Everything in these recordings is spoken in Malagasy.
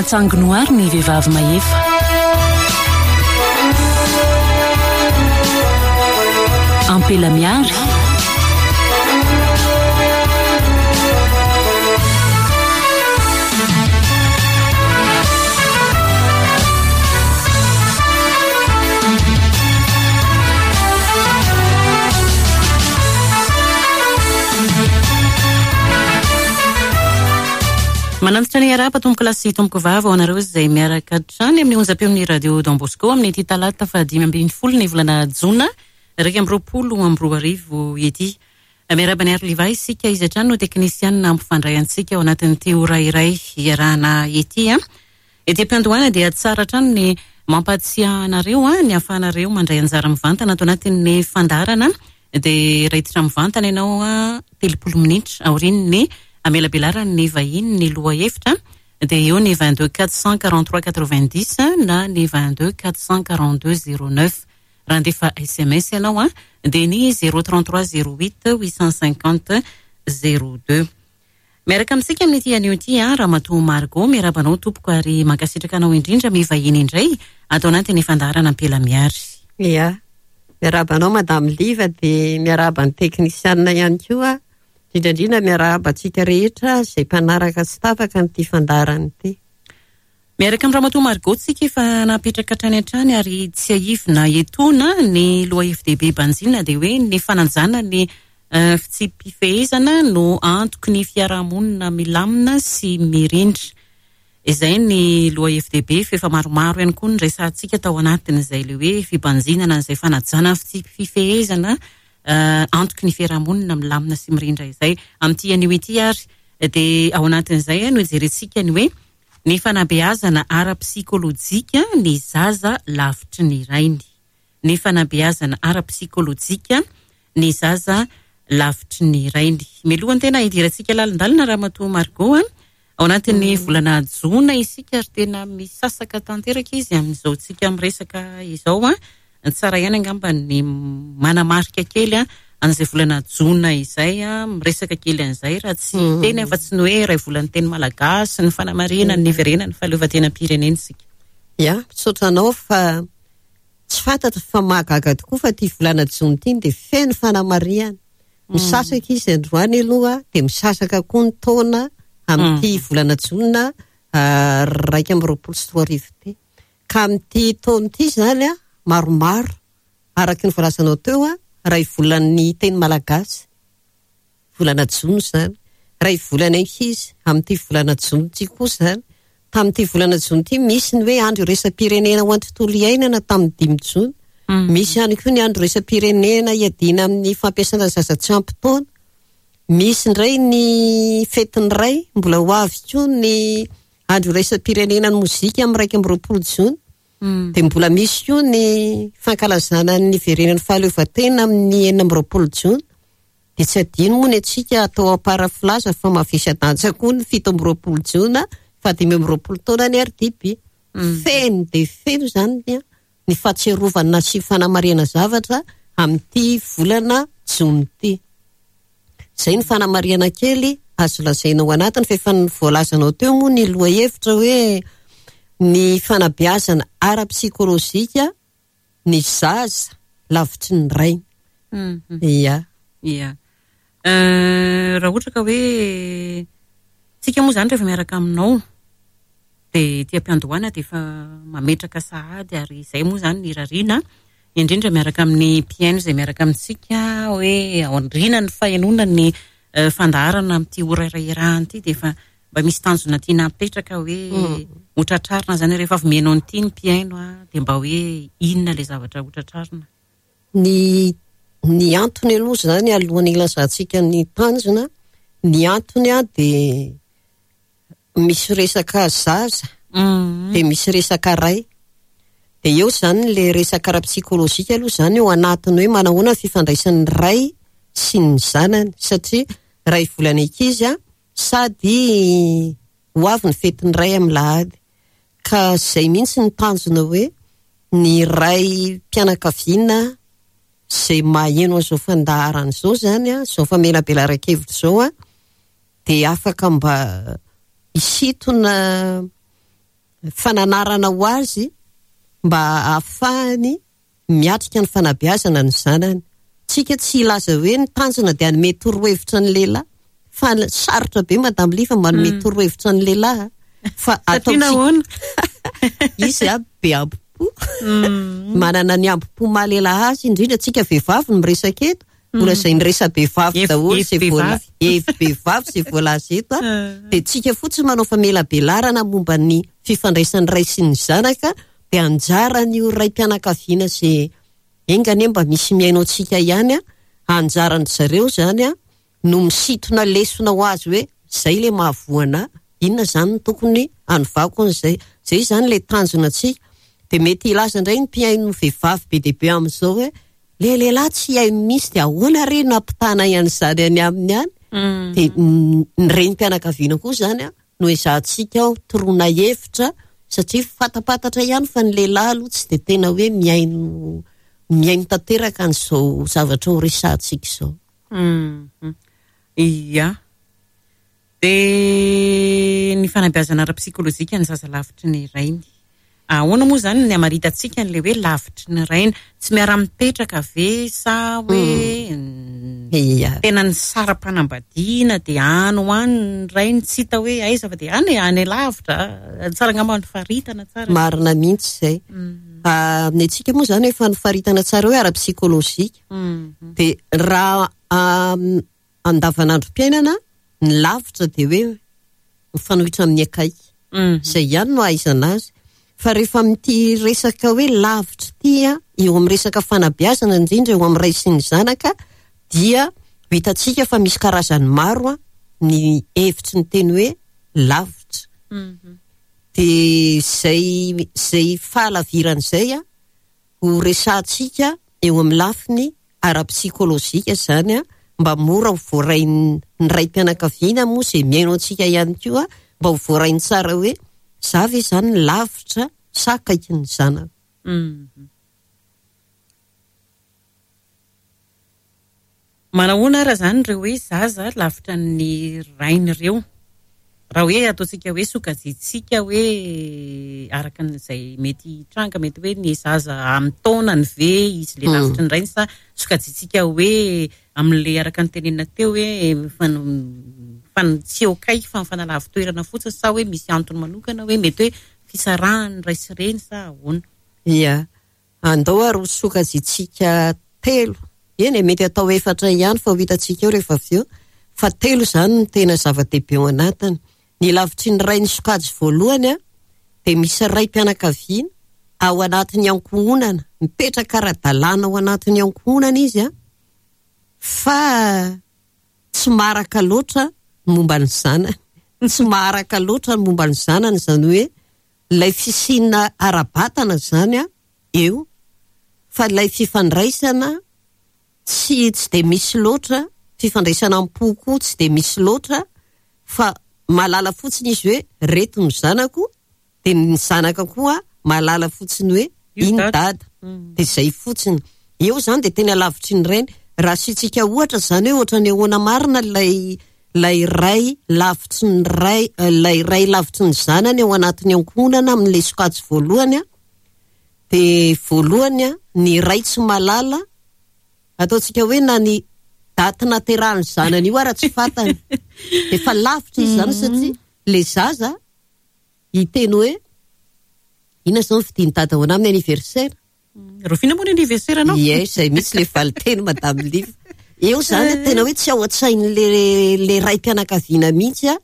Mahatsangy noary ny vehivavy mahefa. Ampela miary. Manantitra ny arahaba tompokolahy sy tompokovavy ho anareo izay miaraka hatrany amin'ny onjam-peon'ny Radio Don Bosco amin'ity talata faha-15 ny volana jona 2021 ity. Miarahaba an'i Arliva isika, izy hatrany no teknisianina hampifandray antsika ao anatin'ity ora iray iarahana ity. Ety am-piandohana dia tsara hatrany ny mampahatsiahy anareo ny ahafahanareo mandray anjara mivantana ato anatin'ny fandaharana dia raiditra mivantana ianao 30 minitra aorian'ny hamelabelaran'ny vahiny ny lohahevitra dia eo ny 22 443 90 na ny 22 442 09. Raha handefa sms ianao dia ny 033 08 850 02. Miaraka amintsika amin'ity anio ity Ramatoa Margot, miarahaba anao tompoko ary mankasitraka anao indrindra mivahiny indray ato anatin'ny fandaharana Ampela Miary. Ia, miarahaba anao Madame Liva dia miarahaba ny teknisianina ihany koa, indrindra indrindra miarahaba antsika rehetra izay mpanaraka tsy tapaka an'ity fandaharana ity. Miaraka amin'i Ramatoa Margot tsika efa napetraka hatrany hatrany ary tsiahivina etoana ny lohahevi-dehibe banjina dia hoe ny fanajana ny fitsipi-pifehezana no antoky ny fiarahamonina milamina sy mirindra. Izay ny lohahevi-dehibe fa efa maromaro ihany koa ny resahantsika tao anatin'izay ilay hoe fibanjinana an'izay fanajana ny fitsipi-pifehezana antoky ny fiarahamonina milamina sy mirindra izay. Amin'ity anio ity ary dia ao anatin'izay no hijerentsika ny hoe Ny fanabeazana ara-psikolojika ny zaza lavitry ny rainy. Ny fanabeazana ara-psikolojika ny zaza lavitry ny rainy. Mialohan'ny tena hidirantsika lalindalina Ramatoa Margot a, ao anatin'ny volana jona isika ary tena misasaka tanteraka izy amin'izao tsika miresaka izao a. Tsara ihany angamba ny manamarika kely an'izay volana jona izay, miresaka kely an'izay raha tsy hiteny afa-tsy ny hoe iray volan'ny teny malagasy, ny fanamarihana ny niverenan'ny fahaleovantenam-pirenena isika. Ya, misaotra anao fa tsy fantatro fa mahagaga tokoa fa ity volana jona ity dia feno fanamarihana. Misasaka izy androany aloha dia misasaka koa ny taona amin'ity volana jona 2021 ity. Ka amin'ity taona ity izany an, maromaro, araka ny voalazanao teo an, iray volan'ny teny malagasy, volana jona izany, iray volan'ny ankizy, amin'ity volana jona ity koa izany. Tamin'ity volana jona ity misy ny hoe andro iraisam-pirenena ho an'ny tontolo iainana tamin'ny dimy jona. Misy ihany koa ny andro iraisam-pirenena hiadiana amin'ny fampiasana zaza tsy ampy taona. Misy indray ny fetin'ny ray, mbola ho avy koa ny Andro iraisam-pirenena ny mozika amin'ny 21 jona. Dia mbola misy koa ny fankalazana ny niverenan'ny fahaleovantena amin'ny 26 jona. Dia tsy adino moa ny antsika atao ampara-filaza fa mavesa-danja koa ny 27 jona faha-25 taona ny RDB. Feno dia feno izany ny ny fahatsiarovana sy fanamarihana zavatra amin'ity volana jona ity. Izay ny fanamarihana kely azo lazaina ao anatiny fa efa voalazanao teo moa ny lohahevitra hoe ny fanabeazana ara-psikolojika ny zaza lavitry ny rainy. Ia. Ia. Raha ohatra ka hoe tsika moa izany rehefa miaraka aminao dia ety am-piandohana dia efa mametraka sahady ary izay moa izany ny irariana indrindra miaraka amin'ny mpihaino izay miaraka amintsika hoe aoriana ny fahenoana ny fandaharana amin'ity ora iray iarahana ity dia efa mba misy tanjona tiana apetraka hoe ho tratrarina izany rehefa avy mihaino an'ity ny mpihaino dia mba hoe inona ilay zavatra ho tratrarina. Ny ny antony aloha izany alohan'ny hilazantsika ny tanjona, ny antony dia misy resaka zaza dia misy resaka ray. Dia eo izany ilay resaka ara-psikolojika aloha izany eo anatiny hoe manahoana ny fifandraisan'ny ray sy ny zanany satria iray volana ankizy sady ho avy ny fetin'ny ray amin'ny lahady. Ka izay mihitsy ny tanjona hoe ny raim-pianakaviana izay maheno an'izao fandaharana izao izany, izao famelabelaran-kevitra izao, dia afaka mba hisintona. fananarana ho azy mba hahafahany miatrika ny fanabeazana ny zanany. Tsika tsy hilaza hoe ny tanjona dia hanome torohevitra ny lehilahy fa sarotra be Madame Liva manome torohevitra ny lehilahy fa Satria nahoana? Izy a be ambo-po. Manana ny ambo-po maha lehilahy azy indrindra tsika vehivavy no miresaka eto. Mbola izay niresa-behivavy daholo izay voala- hevi-behivavy izay voalaza eto a. Dia tsika fotsiny manao famelabelarana momba ny fifandraisan'ny ray sy ny zanaka dia anjaran'io raim-pianakaviana izay enga anie mba misy mihaino antsika ihany a, anjaran-dry zareo izany a no misintona lesona ho azy hoe izay ilay mahavoa anà, inona izany no tokony hanovako an'izay. Izay izany ilay tanjona antsika. Dia mety hilaza indray ny mpihaino vehivavy be dia be amin'izao hoe ilay lehilahy tsy haino mihitsy dia ahoana re no hampitanay an'izany any aminy any? Dia ny renim-pianakaviana koa izany a no ezahantsika ao toroana hevitra satria fantapantatra ihany fa ny lehilahy aloha tsy dia tena hoe mihaino mihaino tanteraka an'izao zavatra ho resahantsika izao. Ia. Dia ny fanabeazana ara-psikolojika ny zaza lavitry ny rainy. Ahoana moa izany ny hamaritantsika an'ilay hoe lavitry ny rainy? Tsy miara-mipetraka ve sa hoe tena nisara-panambadiana dia any ho any ny rainy tsy hita hoe aiza fa dia any e, any lavitra. Tsara angamba ny faritana tsara. Marina mihitsy izay. Amin'ny antsika moa izany efa nofaritana tsara hoe ara-psikolojika. Dia raha andavanandrom-piainana, ny lavitra dia hoe mifanohitra amin'ny akaiky. Izay ihany no ahaizana azy. Fa rehefa amin'ity resaka hoe lavitra ity, eo amin'ny resaka fanabeazana indrindra eo amin'ny ray sy ny zanaka, dia ho hitantsika fa misy karazany maro ny hevitry ny teny hoe lavitra. Dia izay izay fahalavirana izay ho resahantsika eo amin'ny lafiny ara-psikolojika izany mba mora ho voarain'ny raim-pianakaviana moa izay mihaino antsika ihany koa mba ho voarainy tsara hoe za ve izany lavitra sa akaikin'ny zanako. Manahoana ara izany ireo hoe zaza lavitra ny rainy ireo? Raha hoe ataontsika hoe sokajiantsika hoe araka an'izay mety hitranga, mety hoe ny zaza amin'ny taonany ve izy ilay lavitry ny rainy sa sokajiantsika hoe amin'ilay araka ny tenenina teo hoe tsy eo akaiky fa mifanalavin-toerana fotsiny sa hoe misy antony manokana hoe mety hoe fisarahan'ny ray sy reny sa ahoana? Ia. Andao ary ho sokajiantsika telo, eny e, mety atao efatra ihany fa ho hitantsika eo rehefa avy eo, fa telo izany no tena zava-dehibe ao anatiny. Ny lavitry ny ray ny sokajy voalohany dia misy raim-pianakaviana ao anatin'ny ankohonana, mipetraka ara-dalàna ao anatin'ny ankohonana izy fa tsy maharaka loatra ny momba ny zanany, tsy maharaka loatra ny momba ny zanany, izany hoe Ilay fisiana ara-batana izany eo fa ilay fifandraisana tsy tsy dia misy loatra, fifandraisana am-po koa tsy dia misy loatra fa mahalala fotsiny izy hoe reto ny zanako dia ny zanaka koa mahalala fotsiny hoe iny dada dia izay fotsiny. Eo izany dia tena lavitry ny rainy. Raha asiantsika ohatra izany hoe ohatran'ny ahoana marina ilay ilay ray lavitry ny ray, ilay ray lavitry ny zanany ao anatin'ny ankohonana amin'ilay sokajy voalohany an, dia voalohany an, ny ray tsy mahalala, ataontsika hoe na ny daty naterahan'ny zanany io ara tsy fantany. Efa lavitra izy izany satria ilay zaza hiteny hoe inona izao ny fidin'i dada ho anah amin'ny anniversaire? Rahoviana moa ny anniversaire anao? Ie, izay mihitsy ilay valinteny Madame Liv. Eo izany eh. tena hoe tsy ao an-tsain'le le raim-pianakaviana mihitsy a.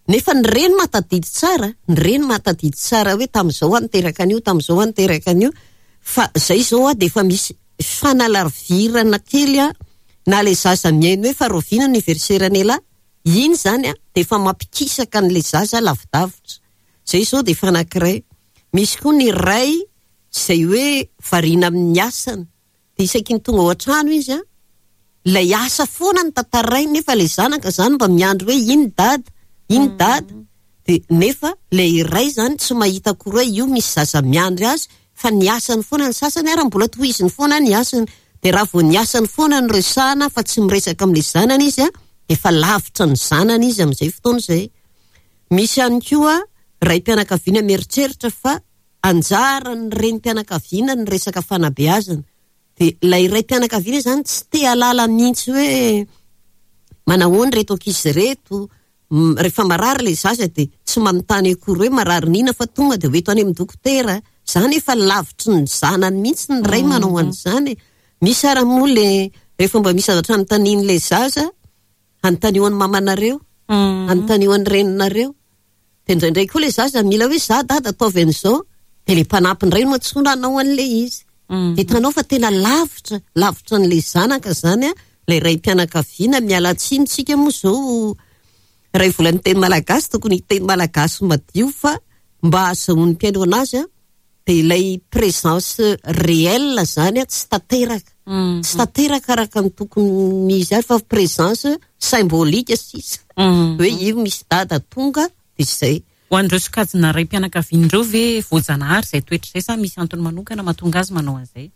Nefa ny reny mahatadidy tsara, ny reny mahatadidy tsara hoe tamin'izao aho niteraka an'io, tamin'izao aho niteraka an'io. Fa izay izao a dia efa misy fanalavirana kely a, na ilay zaza mihaino hoe fa rahoviana ny anniversaire an'ialahy, iny izany a dia efa mampikisaka an'ilay zaza lavidavitra. Izay izao dia efa anankiray. Misy koa ny ray izay hoe variana amin'ny asany, dia isaky ny tonga ao an-trano izy an, ilay asa foana no tantarainy nefa ilay zanaka izany mba miandry hoe iny dada, iny dada, dia nefa ilay iray izany tsy mahita akory hoe io misy zaza miandry azy fa ny asany foana, ny sasany ary mbola tohiziny foana ny asany, dia raha vao ny asany foana no resahana fa tsy miresaka amin'ilay zanany izy an, dia efa lavitra ny zanany izy amin'izay fotoana izay. Misy ihany koa. raim-pianakaviana mieritreritra fa anjaran'ny renim-pianakaviana ny resaka fanabeazana. Dia ilay raim-pianakaviana izany tsy te hahalala mihitsy hoe manahoana ireto ankizy ireto, rehefa marary ilay zaza dia tsy manontany akory hoe marary n'inona fa tonga dia hoento any amin'ny dokotera. Izany efa lavitry ny zanany mihitsy ny ray manao an'izany e. Misy ary moa ilay rehefa mba misy zavatra anontanian'ilay zaza, anontanio an'ny mamanareo, anontanio an'ny reninareo. Dia indraindray koa ilay zaza mila hoe za dada ataovy an'izao, dia ilay mpanampy indray no antsoina hanao an'ilay izy. Dia hitanao fa tena lavitra, lavitra an'ilay zanaka izany an, ilay raim-pianakaviana, miala tsiny tsika moa izao iray volan'ny teny malagasy, tokony hiteny malagasy madio fa mba ahazahoan'ny mpihaino an'azy an, dia ilay présence réelle izany an, tsy tanteraka. Tsy tanteraka araka ny tokony izy ary fa présence symbolique sisa. Hoe io misy dada tonga dia izay. Ho an'ireo sokajina raim-pianakaviana ireo ve voajanahary izay toetra izay sa misy antony manokana mahatonga azy manao an'izay?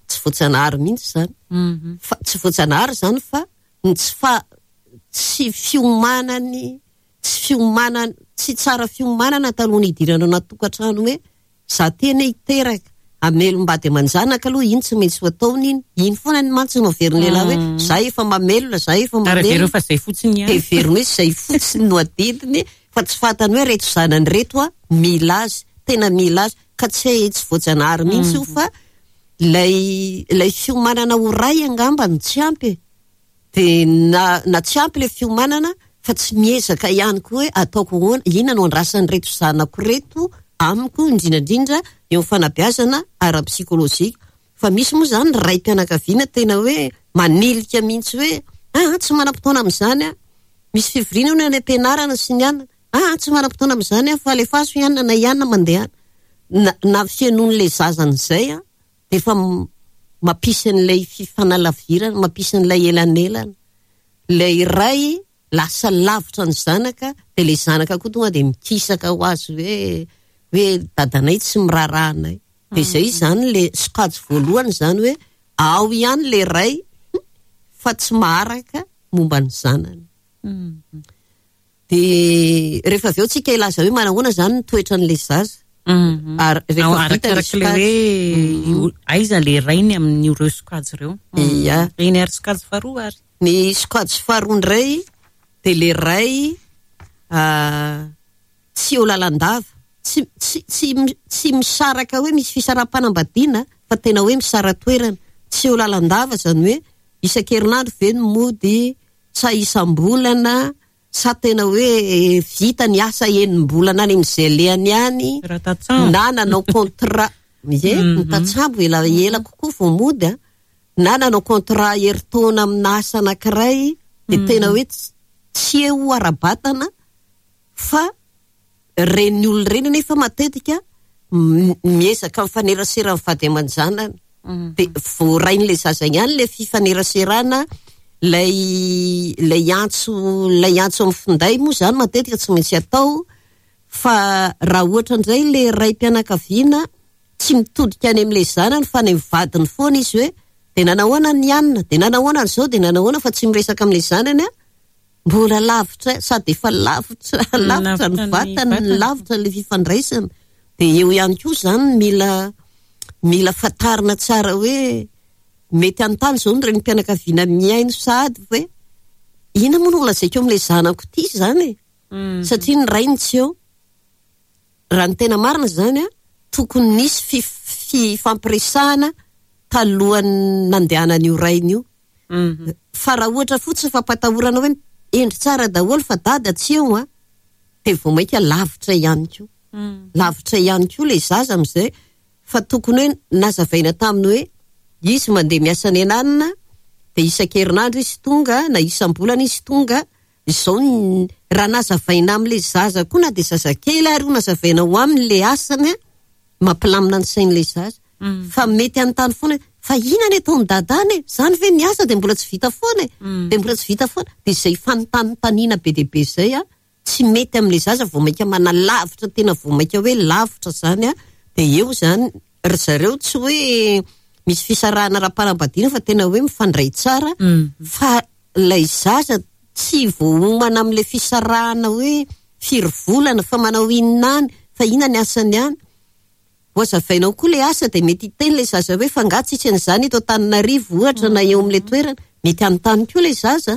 Tsy voajanahary mihitsy izany. Fa tsy voajanahary izany fa ny tsy fa tsy fiomanany tsy fiomanana tsy tsara fiomanana talohan'ny hidirana anaty tokantrano hoe za tena hiteraka, hamelom-bady aman-janaka aloha iny tsy maintsy ho ataony iny, iny foana ny mantsy no averin'ny lehilahy hoe za efa mamelona, za efa Ary mamelona. avereo fa zay fotsiny ihany. Heveriny hoe zay fotsiny no adidiny fa tsy fantany hoe reto zanany reto a mila azy, tena mila azy, ka tsy tsy voajanahary mihitsy io fa ilay ilay fiomanana ho ray angamba no tsy ampy e. Dia na na tsy ampy ilay fiomanana fa tsy miezaka ihany koa hoe ataoko ahoana, inona no andrasan'ireto zanako ireto amiko, indrindra indrindra eo amin'ny fanabeazana ara-psikolojika. Fa misy moa izany raim-pianakaviana tena hoe manilika mihitsy hoe aa tsy manam-potoana amin'izany aho. Misy fivoriana hono any am-pianarana sy ny anona, aa tsy manam-potoana amin'izany aho fa alefaso i anona na i anona mandehana. Na na fihenoan'ilay zaza an'izay an, dia efa mampisy an'ilay fifanalavirana, mampisy an'ilay elanelana. Ilay ray lasa lavitra ny zanaka, dia ilay zanaka koa tonga dia mikisaka ho azy hoe hoe dadanay tsy miraharaha anay. Dia izay izany ilay sokajy voalohany izany hoe ao ihany ilay ray fa tsy maharaka momba ny zanany. Dia rehefa avy eo tsika hilaza hoe manahoana izany ny toetran'ilay zaza. Mhm. Ary rehefa vita ilay Arakarak'ilay sokajy. hoe aiza ilay rainy amin'ireo sokajy ireo. Ia. Eny ary sokajy faharoa ary. Ny sokajy faharoa indray dia ilay ray ah, tsy eo lalandava. Tsy, tsy, tsy, tsy misaraka hoe misy fisaraham-panambadiana fa tena hoe misara-toerana. Tsy eo lalandava izany hoe isan-kerinandro ve no mody sa isam-bolana sa tena hoe vita ny asa enim-bolana any amin'izay alehany any Raha tatsambo. na nanao contrat ie ny tatsambo ela ela kokoa vao mody a na nanao contrat herintaona amina asa anankiray dia tena hoe tsy eo ara-batana fa Ireny olona ireny anefa matetika miezaka mifanerasera amin'ny vady aman-janany. Dia voarain'ilay zaza ihany ilay fifaneraserana, ilay ilay antso ilay antso amin'ny finday moa izany matetika tsy maintsy atao. Fa raha ohatra indray ilay raim-pianakaviana tsy mitodika any amin'ilay zanany fa any amin'ny vadiny foana izy hoe dia nanahoana ny anona, dia nanahoana an'izao, dia nanahoana fa tsy miresaka amin'ilay zanany an. Mbola lavitra sady efa lavitra lavitra ny vatany ny lavitra ilay fifandraisana dia eo ihany koa izany mila mila fantarina tsara hoe mety hanontany izao ny renim-pianakaviana mihaino sahady hoe inona moa no holazaiko amin'ilay zanako ity izany e satria ny rainy tsy eo raha ny tena marina izany a tokony nisy fifampiresahana talohan'ny nandehanan'io rainy io Fa raha ohatra fotsiny fampatahorana hoe hendry tsara daholo fa dada tsy eo an, dia vao mainka lavitra ihany koa. Lavitra ihany koa ilay zaza amin'izay fa tokony hoe nazavaina taminy hoe izy mandeha miasa any ananona dia isan-kerinandro izy tonga na isam-bolana izy tonga, izao ny raha nazavaina amin'ilay zaza koa na dia zazakely ary io nazavaina ho aminy ilay asany an, mampilamina ny sain'ilay zaza fa mety hanontany foana hoe fa inona ny ataon'i dada any e? Izany ve ny asa dia mbola tsy vita foana e? Dia mbola tsy vita foana. Dia izay fanontanintaniana be dia be izay an, tsy mety amin'ilay zaza vao mainka manalavitra tena vao mainka hoe lavitra izany an, dia eo izany ry zareo tsy hoe misy fisarahana ara-panambadiana fa tena hoe mifandray tsara fa ilay zaza tsy voaomana amin'ilay fisarahana hoe. Firy volana? Fa manao inona any? Fa inona ny asany any? Ho azavainao koa ilay asa dia mety hiteny ilay zaza hoe fa angaha tsisy an'izany eto Antananarivo ohatra na eo amin'ilay toerana. Mety hanontany koa ilay zaza.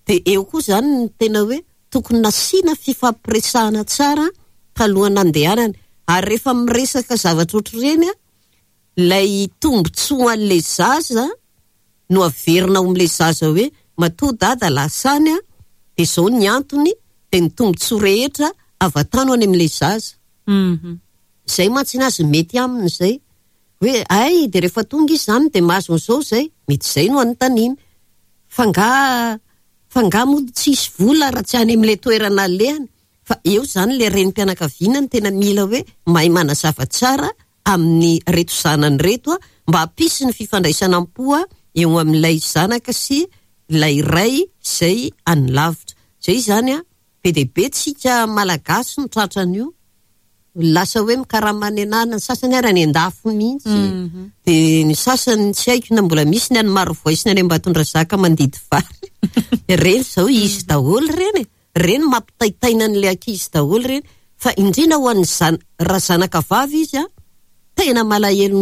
Dia eo koa izany ny tena hoe tokony nasiana fifampiresahana tsara talohan'ny nandehanany. Ary rehefa miresaka zavatra ohatr'ireny, ilay tombontsoan'ilay zaza no averina ao amin'ilay zaza hoe matoa dada lasa any dia izao ny antony dia ny tombontsoa rehetra avatano any amin'ilay zaza. Izay mantsy ny azy mety aminy izay. Hoe hay dia rehefa tonga izy izany dia mahazo an'izao izay. Mety izay no anontaniany. Fa angaha fa angaha moa tsisy vola raha tsy any amin'ilay toerana alehany. Fa eo izany ilay renim-pianakaviana no tena mila hoe mahay manazava tsara amin'ireto zanany ireto mba hampisy ny fifandraisana am-po eo amin'ilay zanaka sy ilay ray izay any lavitra. Izay izany be dia be tsika Malagasy no tratran'io. Lasa hoe mikarama any an'ala, ny sasany ary any an-dafy mihitsy. Dia ny sasany tsy haiko na mbola misy ny any Marovoay sy ny any Ambatondrazaka mandidy vary. Ireny izao izy daholo ireny e. Ireny mampitaitaina an'ilay ankizy daholo ireny. Fa indrindra ho an'ny zan- raha zanaka vavy izy an, tena malahelo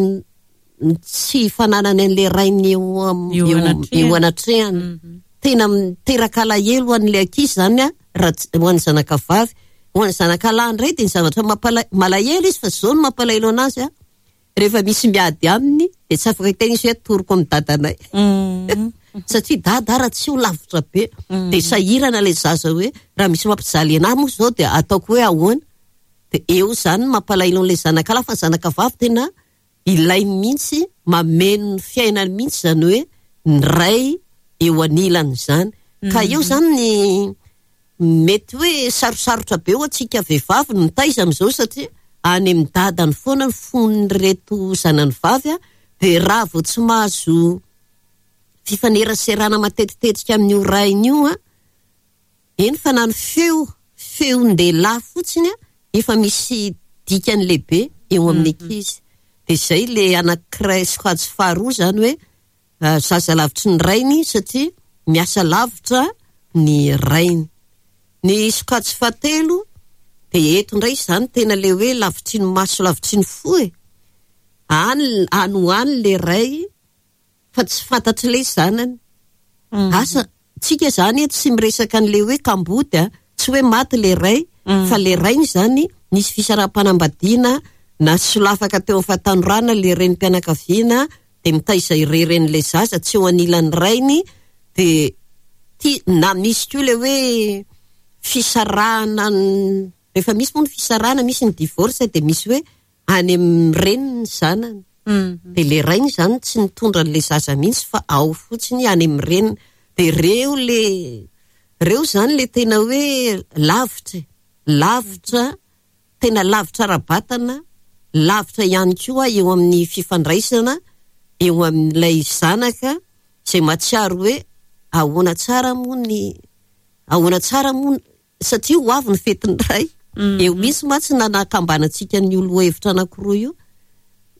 ny tsy fananany an'ilay rainy eo am- Eo eo anatrehany. eo anatrehany. Tena miteraka alahelo ho an'ilay ankizy izany an, raha tsy- ho an'ny zanaka vavy. Ho an'ny zanaka lahy indray dia ny zavatra mampala- malahelo izy fa izao no mampalahelo anazy an, rehefa misy miady aminy dia tsy afaka hiteny izy hoe atoroko amin'ny dadanay. Satria dada raha tsy ho lavitra be dia sahirana ilay zaza hoe raha misy mampijaly anahy moa izao dia ataoko hoe ahoana. Dia eo izany no mampalahelo an'ilay zanaka lahy fa ny zanaka vavy tena ilainy mihitsy, mameno ny fiainany mihitsy izany hoe ny ray eo anilany izany. Ka eo izany ny mety hoe sarosarotra be ho antsika vehivavy ny mitaiza amin'izao satria any amin'ny dadany foana ny fon'ireto zanany vavy dia raha vao tsy mahazo fifaneraserana matetitetika amin'io rainy io an, eny fa na ny feo, feon-dehilahy fotsiny an, efa misy dikany lehibe eo amin'ny ankizy. Dia izay ilay anankiray sokajy faharoa izany hoe zaza lavitry ny rainy satria miasa lavitra ny rainy. Ny sokajy fahatelo dia eto indray izany tena ilay hoe lavitry ny maso lavitry ny fo e. Any any ho any ilay ray fa tsy fantatr'ilay zanany. Asa, tsika izany eto tsy miresaka an'ilay hoe kamboty a, tsy hoe maty ilay ray, fa ilay rainy izany nisy fisaraham-panambadiana na solafaka teo amin'ny fahatanorana ilay renim-pianakaviana dia mitaiza irery an'ilay zaza tsy eo anilan'ny rainy dia tia, na misy koa ilay hoe fisarahana, rehefa misy moa ny fisarahana misy ny divorce dia misy hoe any amin'ny reniny ny zanany. Dia ilay rainy izany tsy nitondra an'ilay zaza mihitsy fa ao fotsiny any amin'ny reniny. Dia ireo ilay, ireo izany ilay tena hoe lavitra e, lavitra, tena lavitra ara-batana, lavitra ihany koa eo amin'ny fifandraisana eo amin'ilay zanaka izay mahatsiaro hoe ahoana tsara moa ny, ahoana tsara moa satria ho avy ny fetin'ny ray. Eo mihitsy mantsy nanakambanantsika an'io lohahevitra anankiroa io.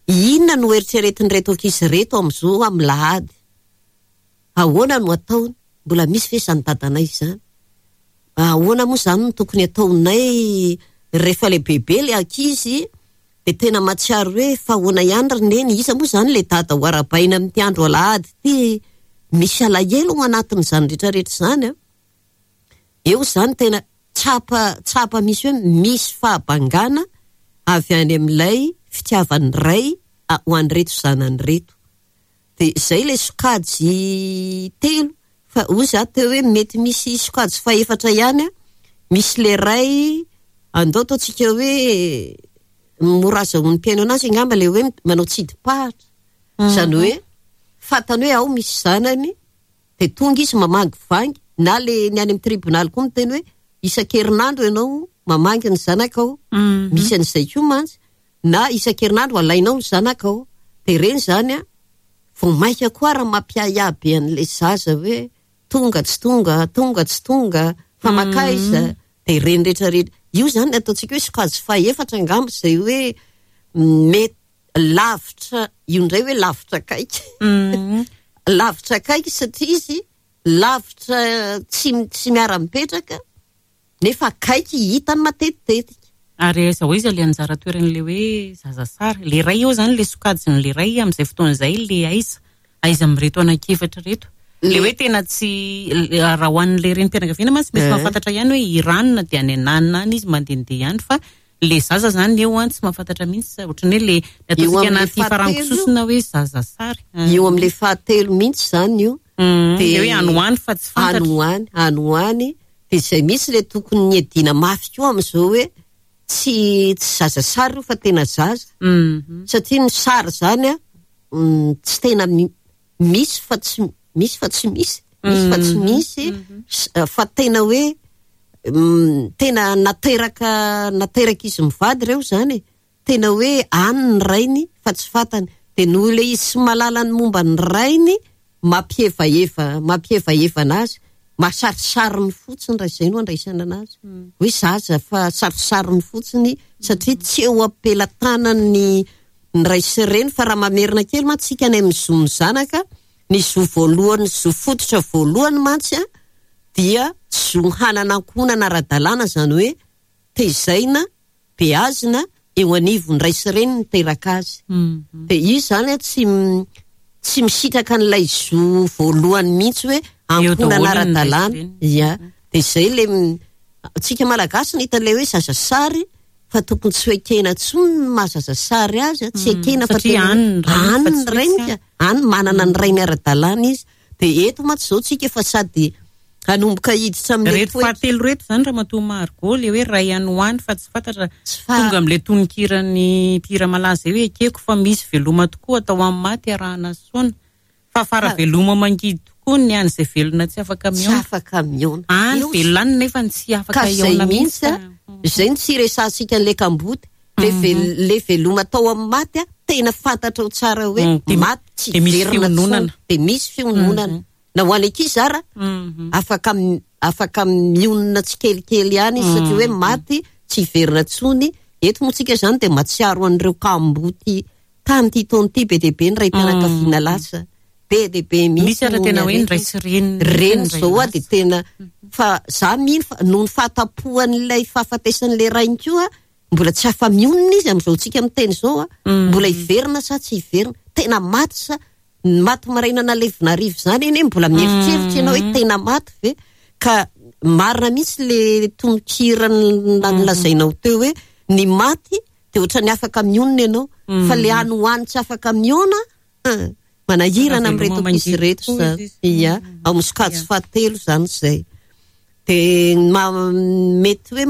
Inona no eritreretin'ireto ankizy ireto amin'izao amin'ny lahady? Ahoana no ataony? Mbola misy ve izany dadanay izany? Ahoana moa izany no tokony ataonay rehefa lehibebe ilay ankizy dia tena mahatsiaro hoe fa ahoana ihany ry neny, iza moa izany ilay dada ho arahabaina amin'ity andro alahady ity? Misy alahelo ao anatin'izany rehetrarehetra izany an! Eo izany tena tsapa tsapa misy hoe misy fahabangana avy any amin'ilay fitiavan'ny ray ho an'ireto zanany ireto. Dia izay ilay sokajy telo fa hoy za teo hoe mety misy sokajy fahefatra ihany an, misy ilay ray andao ataontsika hoe mora azahoan'ny mpihaino anazy angamba ilay hoe manao tsidi-pahatra. Izany hoe fantany hoe ao misy zanany Dia tonga izy mamangivangy, na le ny any amin'ny tribonaly koa miteny hoe isan-kerinandro ianao mamangy ny zanakao. Misy an'izay koa mantsy. Na isan-kerinandro alainao ny zanakao. Dia ireny izany an, vao mainka koa ary mampiahiahy be an'ilay zaza hoe tonga tsy tonga, tonga tsy tonga, fa mankaiza. Dia ireny rehetra rehetra. Io izany ataontsika hoe sokajy fahefatra angamba izay hoe mety lavitra, io indray hoe lavitra akaiky. Lavitra akaiky satria izy lavitra tsy tsy miara-mipetraka. Nefa akaiky hitany matetitetika. Ary aiza ho aiza ilay anjara toeran'ilay hoe zaza sary? Ilay ray eo izany, ilay sokajin'ilay ray amin'izay fotoana izay, ilay aiza? Aiza amin'ireto anankiefatra ireto? Ilay hoe tena tsy, raha ho an'ilay renim-pianakaviana mantsy misy mahafantatra ihany hoe i ranona dia any ananona any izy mandehandeha ihany fa ilay zaza izany eo an tsy mahafantatra mihitsy, ohatran'ny hoe ilay ny ataontsika anaty farango sosona hoe zaza sary. Eo amin'ilay fahatelo mihitsy izany io. Dia hoe any ho any fa tsy fantatra. Any ho any, any ho any. Dia izay mihitsy ilay tokony niadiana mafy koa amin'izao hoe tsy tsy zaza sary io fa tena zaza. Satria ny sary izany an, tsy tena misy fa tsy misy fa tsy misy, misy fa tsy misy, fa tena hoe tena nateraka naterak'izy mivady ireo izany e. Tena hoe any ny rainy fa tsy fantany. Dia noho ilay izy tsy mahalala ny momba ny rainy, mampihevaheva mampihevaheva anazy, mahasarisariny fotsiny raha izay no andraisana anazy. Hoe zaza fa sarisariny fotsiny satria tsy eo am-pelatanan'ny ny ray sy reny fa raha mamerina kely mantsy isika any amin'ny zon'ny zanaka, ny zo voalohany, zo fototra voalohany mantsy an, dia zo hanana ankohonana ara-dalàna izany hoe tezaina beazina eo anivon'ny ray sy reny niteraka azy. Dia izy izany tsy tsy misitraka an'ilay zo voalohany mihitsy hoe ankohonana ara-dalàna. Ia. Dia izay ilay antsika Malagasy no hita ilay hoe zaza sary fa tokony tsy ho ekena intsony ny maha zaza sary azy, tsy ekena fa tena any ny rainy ka, any manana ny rainy ara-dalàna izy. Dia eto mantsy izao tsika efa sady hanomboka hiditra amin'ilay Ireto fahatelo ireto izany Ramatoa Margot, ilay hoe ray any ho any fa tsy fantatra, tonga amin'ilay tononkiran'ny mpihira malaza hoe ekeko fa misy veloma tokoa atao amin'ny maty arahana soana. Fa fara veloma mangidy tokoa ny an'izay velona tsy afaka mihaona. Tsy afaka mihaona. Any velona any nefa tsy afaka hihaona mihitsy. Izay no tsy iresahantsika an'ilay kamboty. Le veloma atao amin'ny maty tena fantatrao tsara hoe maty tsy hiverina intsony. Dia misy fiononana. Na ho an'ny ankizy ara, afaka afaka mionona tsikelikely ihany izy satria hoe maty tsy hiverina intsony. Eto moa tsika izany dia mahatsiaro an'ireo kamboty tamin'ity taona ity be dia be ny raim-pianakaviana lasa. Be dia be mihitsy. Misy ara tena hoe ny ray sy reny. Reny izao dia tena fa za mino fa noho ny fahatapohan'ilay fahafatesan'ilay rainy koa Mbola tsy afa-mionona izy amin'izao tsika miteny izao a. Mbola hiverina sa tsy hiverina? Tena maty sa ny maty maraina nalevina hariva izany anie mbola mieritreritra ianao hoe tena maty ve? Ka marina mihitsy le tononkira nolazainao teo hoe ny maty dia ohatran'ny afaka mionona ianao fa le any ho any tsy afaka miona manahirana amin'ireto ankizy ireto izany. Ia, ao amin'ny sokajy fahatelo izany izay. Dia mety hoe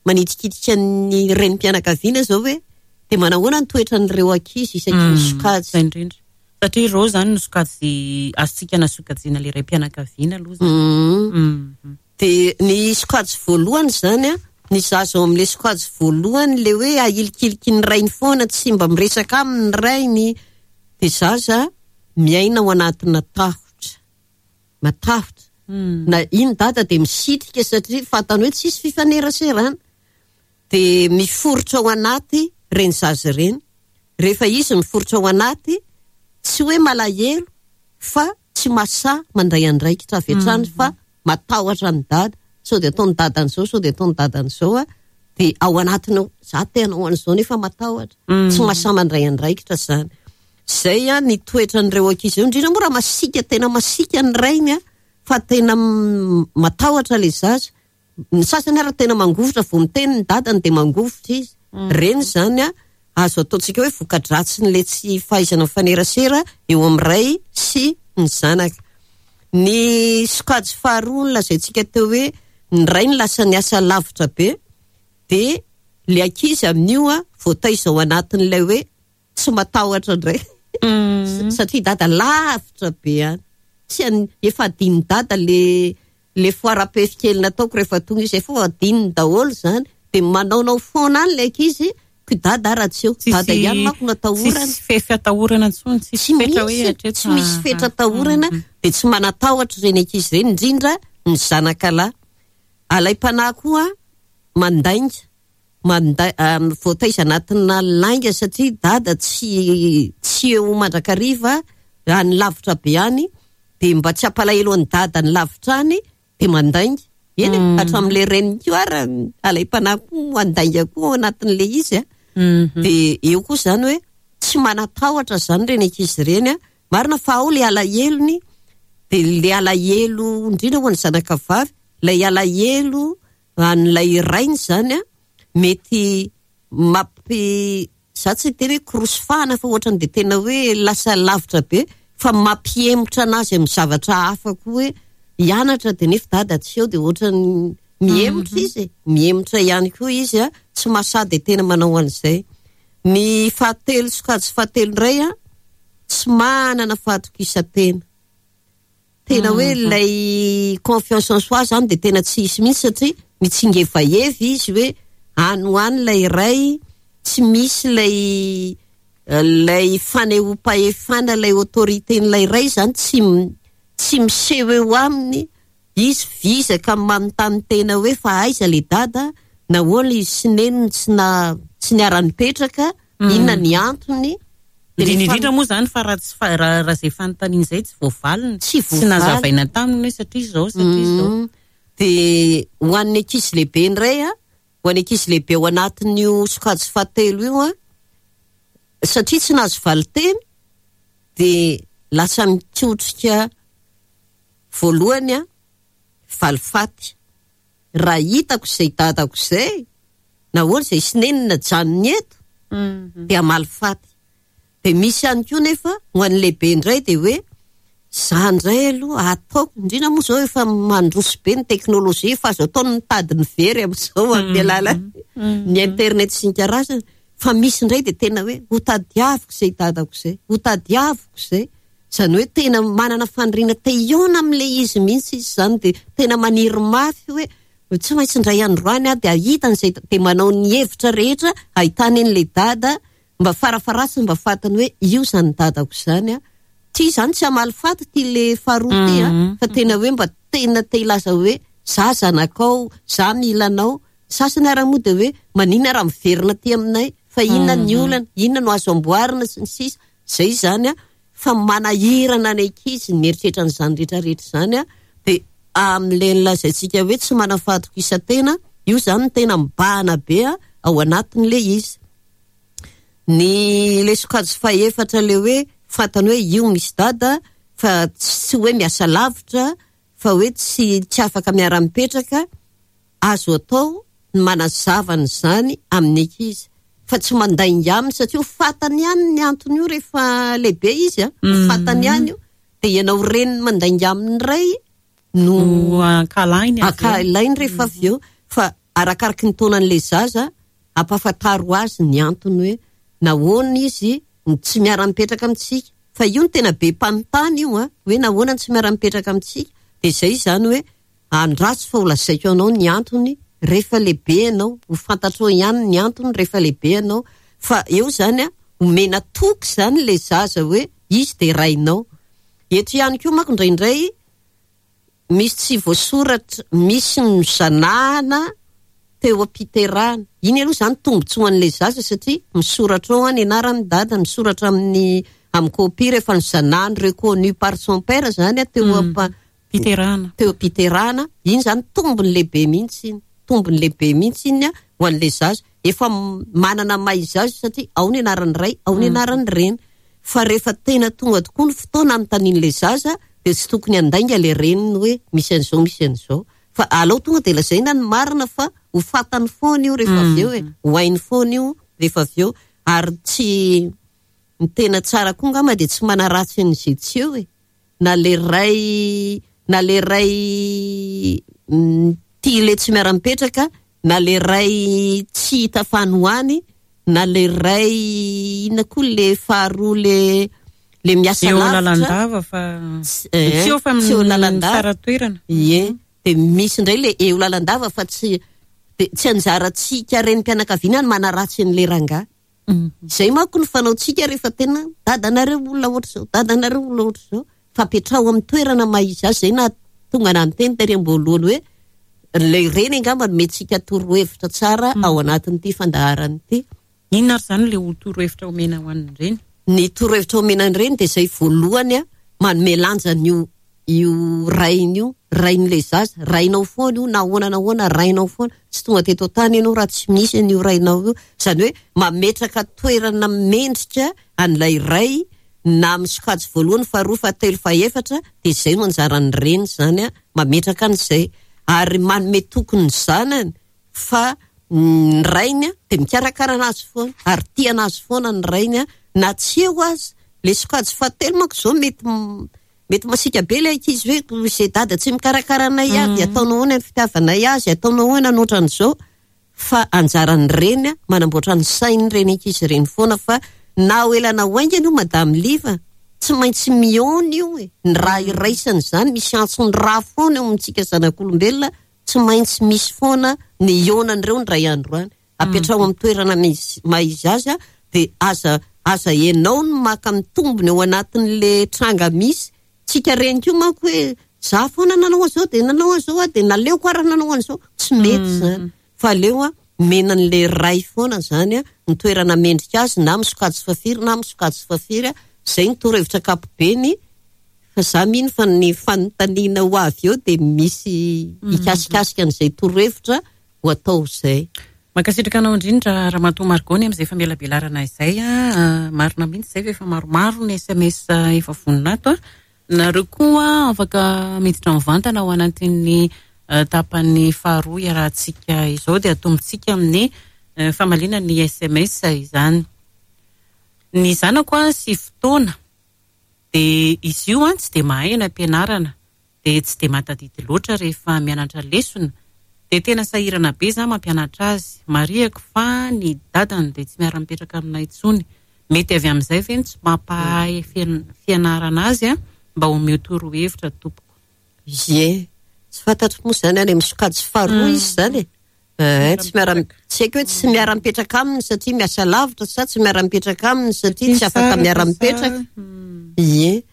manitikitika ny renim-pianakaviana izao hoe dia manahoana ny toetran'ireo ankizy isaky ny sokajy. Izay indrindra. Satria ireo izany no sokajy azontsika nasokajiana ilay raim-pianakaviana aloha izany. Dia ny sokajy voalohany izany an, ny zaza ao amin'ilay sokajy voalohany ilay hoe ahilikiliky ny rainy foana, tsy mba miresaka aminy ny rainy, dia zaza miaina ao anatina tahotra. Matahotra. Na iny dada dia misitrika satria fantany hoe tsisy fifaneraserana. Dia miforitra ao anaty ireny zaza ireny. Rehefa izy miforitra ao anaty, tsy hoe malahelo fa tsy mahasahy mandray andraikitra avy hatrany fa matahotra an'i dada. Sao dia ataon'i dada an'izao, sao dia ataon'i dada an'izao. Dia ao anatiny ao, za te hanao an'izao nefa matahotra. Tsy mahasahy mandray andraikitra izany. Izay an ny toetran'ireo ankizy ireo, indrindra moa raha masiaka, tena masiaka ny rainy an, fa tena matahotra ilay zaza. Ny sasany ary tena mangovitra vao miteny ny dadany dia mangovitra izy. Ireny izany an, azo ataontsika hoe voka-dratsin'ilay tsy fahaizana mifanerasera eo amin'ny ray sy ny zanaka. Ny sokajy faharoa nolazaintsika teo hoe ny rainy lasa niasa lavitra be dia ilay ankizy amin'io an voataiza ao anatin'ilay hoe tsy matahotra indray satria dada lavitra be any tsy an- efa adin'ny dada le le foara-pefy kely nataoko rehefa tonga izy efa adinony daholo izany dia manaonao foana any le ankizy ko dada ara tsy eo dada ihany manko no atahorana tsisy fefy atahorana intsony tsisy tsy fetra hoe misy hatreto tsy misy fetra atahorana dia tsy manatahotra ireny ankizy ireny indrindra ny zanaka lahy alaim-panahy koa mandainga Manda voataiza anatina lainga satria dada tsy tsy eo mandrakariva any lavitra be any dia mba tsy hampalahelo an'i dada any lavitra any dia mandainga. Eny e, hatramin'ilay reniny koa ary alaim-panahy koa handainga koa ao anatin'ilay izy a. Dia eo koa izany hoe tsy manan-tahotra izany ireny ankizy ireny a. Marina fa ao ilay alahelony, dia ilay alahelo indrindra ho an'ny zanaka vavy, ilay alahelo an'ilay rainy izany a, mety mampi, za tsy hiteny hoe korosifahana fa ohatrany dia tena hoe lasa lavitra be fa mampihemotra anazy amin'ny zavatra hafa koa hoe hianatra dia nefa dada tsy eo dia ohatrany mihemotra izy e, mihemotra ihany koa izy a, tsy mahasahy dia tena manao an'izay. Ny fahatelo sokajy fahatelo indray a, tsy manana fahatokisan-tena. Tena hoe ilay confiance en soi zany dia tena tsy hisy mihitsy satria mitsingevaheva izy hoe any ho any ilay iray, tsy misy ilay ilay fanehoam-pahefana, ilay autorité-n'ilay iray zany tsy tsy miseho eo aminy, izy vizaka manontany tena hoe fa aiza ilay dada, nahoana izy sy neny no tsy na tsy niara-nipetraka, inona ny antony. Indrindra indrindra moa izany fa raha tsy fa raha raha izay fanontaniana izay tsy voavaliny, Tsy tsy nazavaina taminy hoe satria izao satria izao. Dia ho an'ny ankizy lehibe indray an, ho an'ny ankizy lehibe ao anatin'io sokajy fahatelo io an, satria tsy nahazo valin-teny dia lasa mikotrika voalohany an, valifaty. Raha hitako izay dadako izay, nahoana izay sy neny najanony eto, dia hamaly faty. Dia misy ihany koa nefa ho an'ny lehibe indray dia hoe za indray aloha ataoko, indrindra moa izao efa mandroso be ny teknolojia, efa azo atao ny mitady ny very amin'izao amin'ny alalan'ny internet sy ny karazany, fa misy indray dia tena hoe hotadiaviko izay dadako izay, hotadiaviko izay. Izany hoe tena manana faniriana te hihaona amin'ilay izy mihitsy izy izany dia tena maniry mafy hoe tsy maintsy indray andro any aho dia hahita an'izay dia manao ny hevitra rehetra ahitany an'ilay dada mba farafaharatsiny mba fantany hoe io izany dadako izany an. Ity izany tsy hamaly faty ity le faharoa ity an, fa tena hoe mba tena te hilaza hoe za zanakao, za mila anao. Sasany ara moa dia hoe maninona raha miverina aty aminay fa inona ny olana, inona no azo amboarina sy ny sisa. Izay izany an, fa manahirana ny ankizy ny mieritreritra an'izany rehetra rehetra izany an, dia amin'ilay nolazaintsika hoe tsy manana fahatokisan-tena, io izany no tena mibahana be ao anatin'ilay izy. Ny ilay sokajy fahefatra ilay hoe fantany hoe io misy dada fa tsy hoe miasa lavitra fa hoe tsy tsy afaka miara-mipetraka, Azo atao ny manazava an'izany amin'ny ankizy fa tsy mandainga aminy satria ho fantany ihany ny antony io rehefa lehibe izy a, ho fantany ihany io. Dia ianao reniny mandainga aminy indray no ankahalainy avy eo. Ankahalainy rehefa avy eo. Fa arakaraky ny taonan'ilay zaza, ampahafantaro azy ny antony hoe nahoana izy no tsy miara-mipetraka amintsika. Fa io no tena be mpanontany io a, hoe nahoana no tsy miara-mipetraka amintsika. Dia izay izany hoe Andraso fa ho lazaiko anao ny antony rehefa lehibe ianao, ho fantatrao ihany ny antony rehefa lehibe ianao, fa eo izany an, omena toky izany ilay zaza hoe izy dia rainao. Eto ihany koa manko indraindray misy tsy voasoratra, misy ny zanahana teo am-piterahana. Iny aloha izany tombotsoan'ilay zaza satria misoratra ao ny anaran'ny dada, misoratra amin'ny amin'ny copie rehefa nozanahany reconnu par son père izany teo am- Piterahana. Teo am-piterahana, iny izany tombony lehibe mihitsy iny, tombony lehibe mihitsy iny ho an'ilay zaza. Efa manana maha izy azy satria ao ny anaran'ny ray, ao ny anaran'ny reny. Fa rehefa tena tonga tokoa ny fotoana anontanian'ilay zaza dia tsy tokony handainga ilay reniny hoe misy an'izao, misy an'izao. Fa alao tonga dia lazaina ny marina fa ho fantany foana io rehefa avy eo e, ho hainy foana io rehefa avy eo. Ary tsy, ny tena tsara koa angamba dia tsy manaratsy an'izay tsy eo e. na le ray na le ray tia le tsy miara-mipetraka na le ray tsy hita fa any ho any na le ray inona koa le faharoa le le miasa Eo lavitra lalandava fa Tsy- eh, tsy eo fa tsy eo lalandava. tsara toerana. Ie, dia misy indray le eo lalandava fa tsy dia tsy anjarantsika renim-pianakaviana ny manaratsy an'le rangahy. Izay manko no fanaontsika rehefa tena dadanareo olona ohatr'izao, dadanareo olona ohatr'izao. Fa apetraho amin'ny toerana maha izy azy. Izay nahatonga anah niteny tery am-boalohany hoe ilay reny angamba no omentsika torohevitra tsara ao anatin'ity fandaharana ity. Inona ary izany ilay ho torohevitra omena ho an'ny reny? Ny torohevitra omena ny reny dia izay voalohany manome lanja an'io. io rainy io, rain'ilay zaza, rainao foana io na ahoana na ahoana rainao foana, tsy tonga teto an-tany ianao raha tsy misy an'io rainao io, izany hoe mametraka toerana mendrika an'ilay ray na amin'ny sokajy voalohany, faharoa, fahatelo, fahefatra dia izay no anjaran'ny reny izany mametraka an'izay ary manome toky ny zanany fa ny rainy dia mikarakara anazy foana ary tia anazy foana ny rainy na tsy eo aza. Ilay sokajy fahatelo manko izao mety mety masiaka be ilay ankizy hoe izay dada tsy mikarakara anay ahy dia ataonao ahoana ny fitiavanay azy, ataonao ahoana ny ohatran'izao. Fa anjaran'ny reny manamboatra ny sain'ireny ankizy ireny foana fa na ho ela na ho haingana io Madame Liva tsy maintsy mihaona io e, ny raha iraisana izany misy antson'ny ra foana eo amintsika zanak'olombelona Tsy maintsy misy foana ny hihaonan'ireo indray andro any. Apetraho amin'ny toerana misy maha izy azy dia aza aza ianao no maka ny tombony ao anatin'le tranga misy. Tsika reny koa manko hoe za foana nanao an'izao dia nanao an'izao aho dia naleoko ary nanao an'izao. Tsy mety izany. Fa aleo omena an'le ray foana izany ny toerana mendrika azy na amin'ny sokajy fahafiry na amin'ny sokajy fahafiry. Izay ny torohevitra ankapobeny. Fa za mino fa ny fanontaniana ho avy eo dia misy hikasikasika an'izay torohevitra ho atao izay. Mankasitraka anao indrindra Ramatoa Margot ny amin'izay famelabelarana izay a. Marina mihitsy izay fa efa maromaro ny sms efa vonona ato a. Nareo koa afaka miditra mivantana ao anatin'ny tapany faharoa iarahantsika izao dia atombontsika amin'ny famaliana ny sms izany. Ny zanako a 9 taona. Dia izy io an tsy dia mahay any am-pianarana, dia tsy dia mahatadidy loatra rehefa mianatra lesona, dia tena sahirana be za mampianatra azy, marihako fa ny dadany dia tsy miara-mipetraka aminay intsony, mety avy amin'izay ve no tsy mampahay fianarana azy an, mba omeo torohevitra tompoko. Ie, tsy fantatro moa izany any amin'ny sokajy faharoa izy izany e. Eh, tsy miara tsy haiko hoe tsy miara-mipetraka aminy satria miasa lavitra sa tsy miara-mipetraka aminy satria tsy afaka miara-mipetraka. Ie.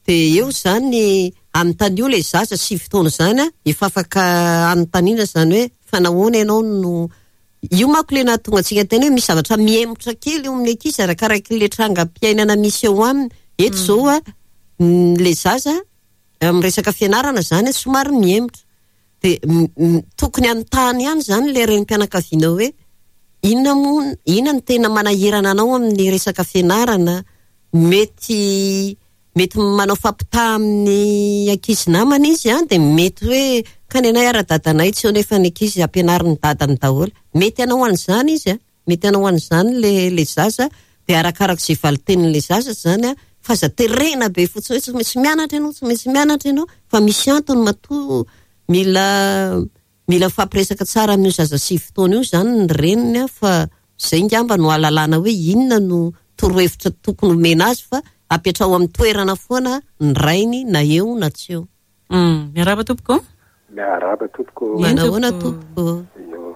Dia eo izany anontanio ilay zaza 9 taona izany an, efa afaka anontaniana izany hoe fa nahoana ianao no io manko ilay nahatonga antsika niteny hoe misy zavatra mihemotra kely eo amin'ny ankizy arakarak'ilay trangam-piainana misy eo aminy. Eto izao an, ilay zaza amin'ny resaka fianarana izany somary mihemotra. Dia tokony hanontany ihany izany ilay renim-pianakaviana hoe inona moa, inona no tena manahirana anao amin'ny resaka fianarana? Mety mety manao fampitaha amin'ny ankizy namana izy an, dia mety hoe ka ny anay ara dadanay tsy eo nefa ny ankizy ampianarin'ny dadany daholo. Mety hanao an'izany izy an. Mety hanao an'izany le le zaza dia arakarak'izay valin-tenin'ilay zaza izany an, fa aza terena be fotsiny hoe tsy maintsy mianatra ianao, tsy maintsy mianatra ianao, fa misy antony matoa mila mila mifampiresaka tsara amin'io zaza 9 taona io izany ny reniny an, fa izay ngamba no ahalalana hoe inona no torohevitra tokony homena azy fa apetraho amin'ny toerana foana ny rainy na eo na tsy eo. Miarahaba tompoko. Miarahaba tompoko. Manahoana tompoko. Io.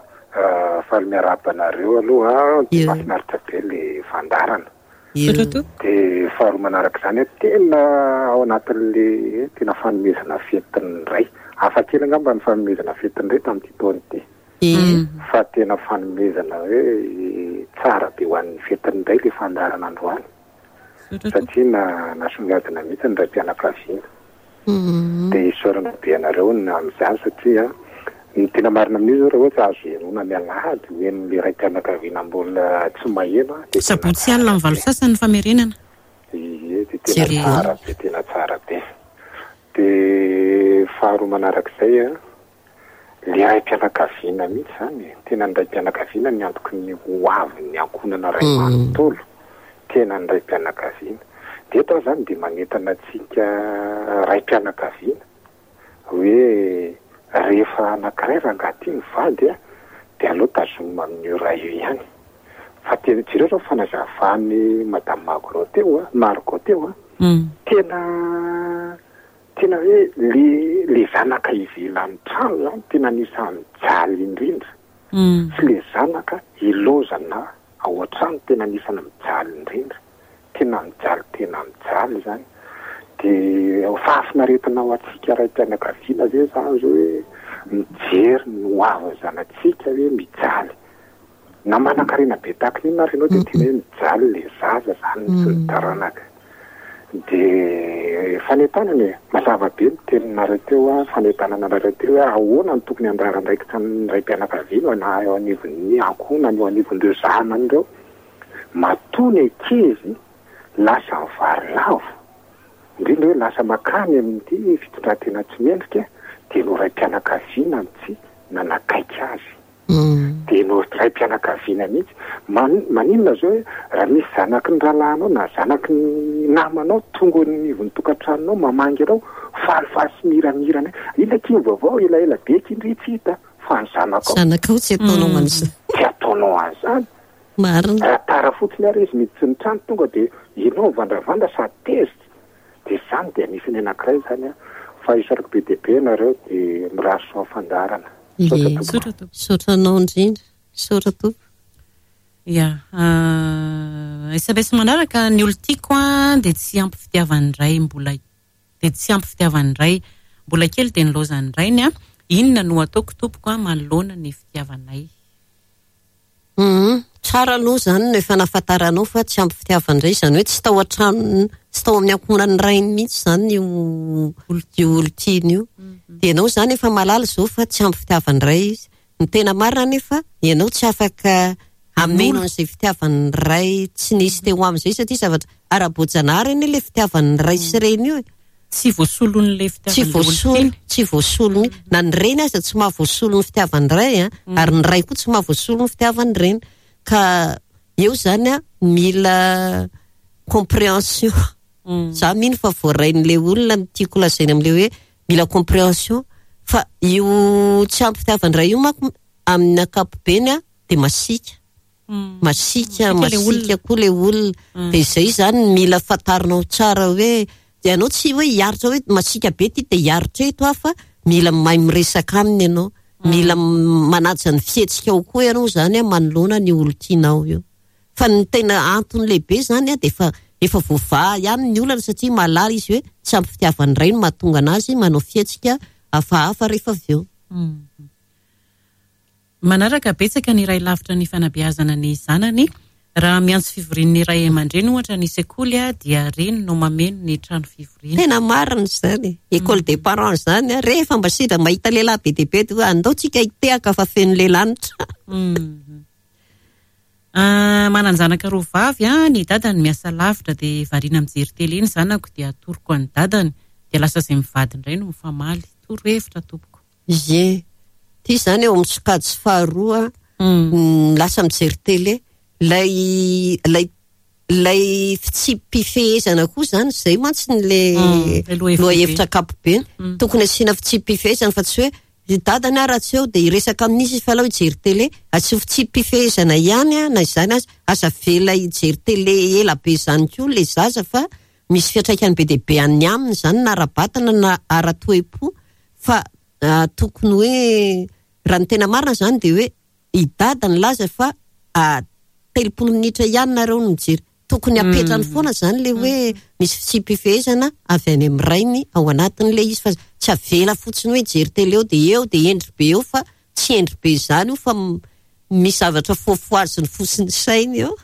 Faly miarahaba anareo aloha. Dia mahafinaritra be le fandaharana. Misaotra tompoko. Dia faharoa manaraka izany, tena ao anatin'le tena fanomezana fetin'ny ray. Hafa kely angamba ny fanomezana fetin'ny ray tamin'ity taona ity. Fa tena fanomezana hoe tsara be ho an'ny fetin'ny ray le fandaharana androany. Satria nasongadina mihitsy ny raim-pianakaviana. Dia isaorana be anareo amin'izany satria ny tena marina amin'io izao raha ohatra azo henoina ny alahady ho henon'ilay raim-pianakaviana mbola tsy maheno dia tena Sabotsy alina amin'ny 8:30 ny famerenana. Ie, dia tena tsara be, tena tsara be. Dia faharoa manarak'izay an, Le raim-pianakaviana mihitsy izany e! Tena ny raim-pianakaviana ny antoky ny ho avin'ny ankohonana iray manontolo. Tena ny raim-pianakaviana. Dia eto aho izany dia manentana antsika raim-pianakaviana hoe rehefa anankiray rangahy ity mivady a, dia aleo tazomina amin'io ray io ihany. Fa tena jereo izao fanazavan'i Madame Magro teo a, Margot teo a, tena Tena hoe le le zanaka ivelan'ny trano zany tena anisan'ny mijaly indrindra sy le zanaka ilaozana ao an-trano tena anisan'ny mijaly indrindra, tena mijaly tena mijaly zany. De fahafinaretana ho antsika raim-pianakaviana ve zany zao hoe mijery ny ho avin'ny zanatsika hoe mijaly. Na manankarena be tahaka ny inona ary ianao dia tena hoe mijaly le zaza zany sy ny taranaka. Dia fanentanana e! Mazava be ny teninareo teo an, fanentanana anareo teo hoe ahoana no tokony handrara andraikitra ny raim-pianakaviana na eo anivon'ny ankohonany, eo anivon'ireo zanany ireo. Matoa ny ankizy lasa mivarilavo, indrindra hoe lasa mankany amin'ity fitondran-tena tsy mendrika, dia no raim-pianakaviana no tsy nanakaiky azy. Dia no raim-pianakaviana mihitsy. Maninona zao hoe raha misy zanaky ny rahalahinao na zanaky ny namanao tonga eo anivon'ny tokantranonao mamangy anao, falifaly sy miramirana hoe inona akia ny vaovao, elaela be akia ndry tsy hita fa ny zanakao. Zanakao tsy ataonao an'izany. Tsy ataonao an'izany. Marina. Raha tara fotsiny ary izy miditsy ny trano tonga dia ianao mivandravandra sady tezitra. Dia izany dia anisany anankiray izany an. Fa isaorako be dia be ianareo dia mirary soa fandaharana. Misaotra tompoko. Misaotra tompoko. Misaotra anao indrindra. Misaotra tompoko. Ya. Sms manaraka, ny olon-tiako an dia tsy ampy fitiavan'ny ray mbola dia tsy ampy fitiavan'ny ray. Mbola kely dia nilaozan'ny rainy an. Inona no ataoko tompoko an manoloana ny fitiavanay? Humm, tsara aloha izany no efa nahafantaranao fa tsy ampy fitiavan-dray, izany hoe tsy tao an-tranony, tsy tao amin'ny ankohonan'ny rainy mihitsy izany io io olon-tiany io. Dia ianao izany efa mahalala izao fa tsy ampy fitiavan-dray izy. Ny tena marina anefa, ianao tsy afaka hameno an'izay fitiavan'ny ray tsy nisy teo aminy izay satria zavatra ara-boajanahary anie ilay fitiavan'ny ray sy reny io e. Tsy voasolon'ilay fitiavan'ilay olon-tiany. Tsy voasolo mihitsy. Na ny reny aza tsy mahavoasolo ny fitiavan'ny ray an, ary ny ray koa tsy mahavoasolo ny fitiavan'ny reny. Ka eo izany an, mila compréhension. Za mino fa voarain'ilay olona ny tiako lazaina amin'ilay hoe mila compréhension. Fa io tsy ampy fitiavan-dray io manko amin'ny ankapobeny an, dia masiaka. Masiaka, masiaka koa ilay olona. Dia izay izany no mila fantarinao tsara hoe, ianao tsy hoe hiaritra hoe masiaka be ity dia hiaritra eto aho fa mila mahay miresaka aminy ianao. Mila manaja ny fihetsikao koa ianao izany manoloana an'io olon-tianao io. Fa ny tena antony lehibe izany dia efa efa voavaha ihany ny olana satria mahalala izy hoe tsy ampy fitiavan'ny ray no mahatonga an'azy manao fihetsika hafahafa rehefa avy eo. Manaraka, betsaka ny ray lavitra ny fanabeazana ny zanany. Raha miantso fivorian'ny ray aman-dreny ohatra ny sekoly dia reny no mameno ny trano fivoriana. Tena marina izany e! École des parents izany, rehefa mba sendra mahita lehilahy be dia be dia hoe andao tsika hitehaka fa feno lehilahy ny trano. Manan-janaka roa vavy aho, ny dadany miasa lavitra dia variana mijery télé ny zanako dia atoroko an'i dadany dia lasa izay mivady indray no mifamaly. Torohevitra tompoko. Ie. Ity izany eo amin'ny sokajy faharoa, lasa mijery télé. Ilay ilay ilay fitsipi-pifehezana koa izany, izay mantsy ny le lohahevitra ankapobeny. Tokony asiana fitsipi-pifehezana fa tsy hoe i dadany aho raha tsy eo dia hiresaka amin'izy izy fa aleo hijery télé. Asio fitsipi-pifehezana ihany na izany aza. Aza avela hijery télé ela be izany koa ilay zaza fa misy fiantraikany be dia be any aminy izany na ara-batana na ara-toe-po. Fa tokony hoe raha ny tena marina izany dia hoe i Dada nilaza fa 30 minitra ihany nareo no mijery. Tokony apetrany foana izany ilay hoe misy fitsipi-pifehezana avy any amin'ny rainy ao anatin'ilay izy fa tsy avela fotsiny hoe hijery télé eo dia eo dia hendry be eo fa tsy hendry be izany io fa misy zavatra foafoaziny fo sy ny sainy eo.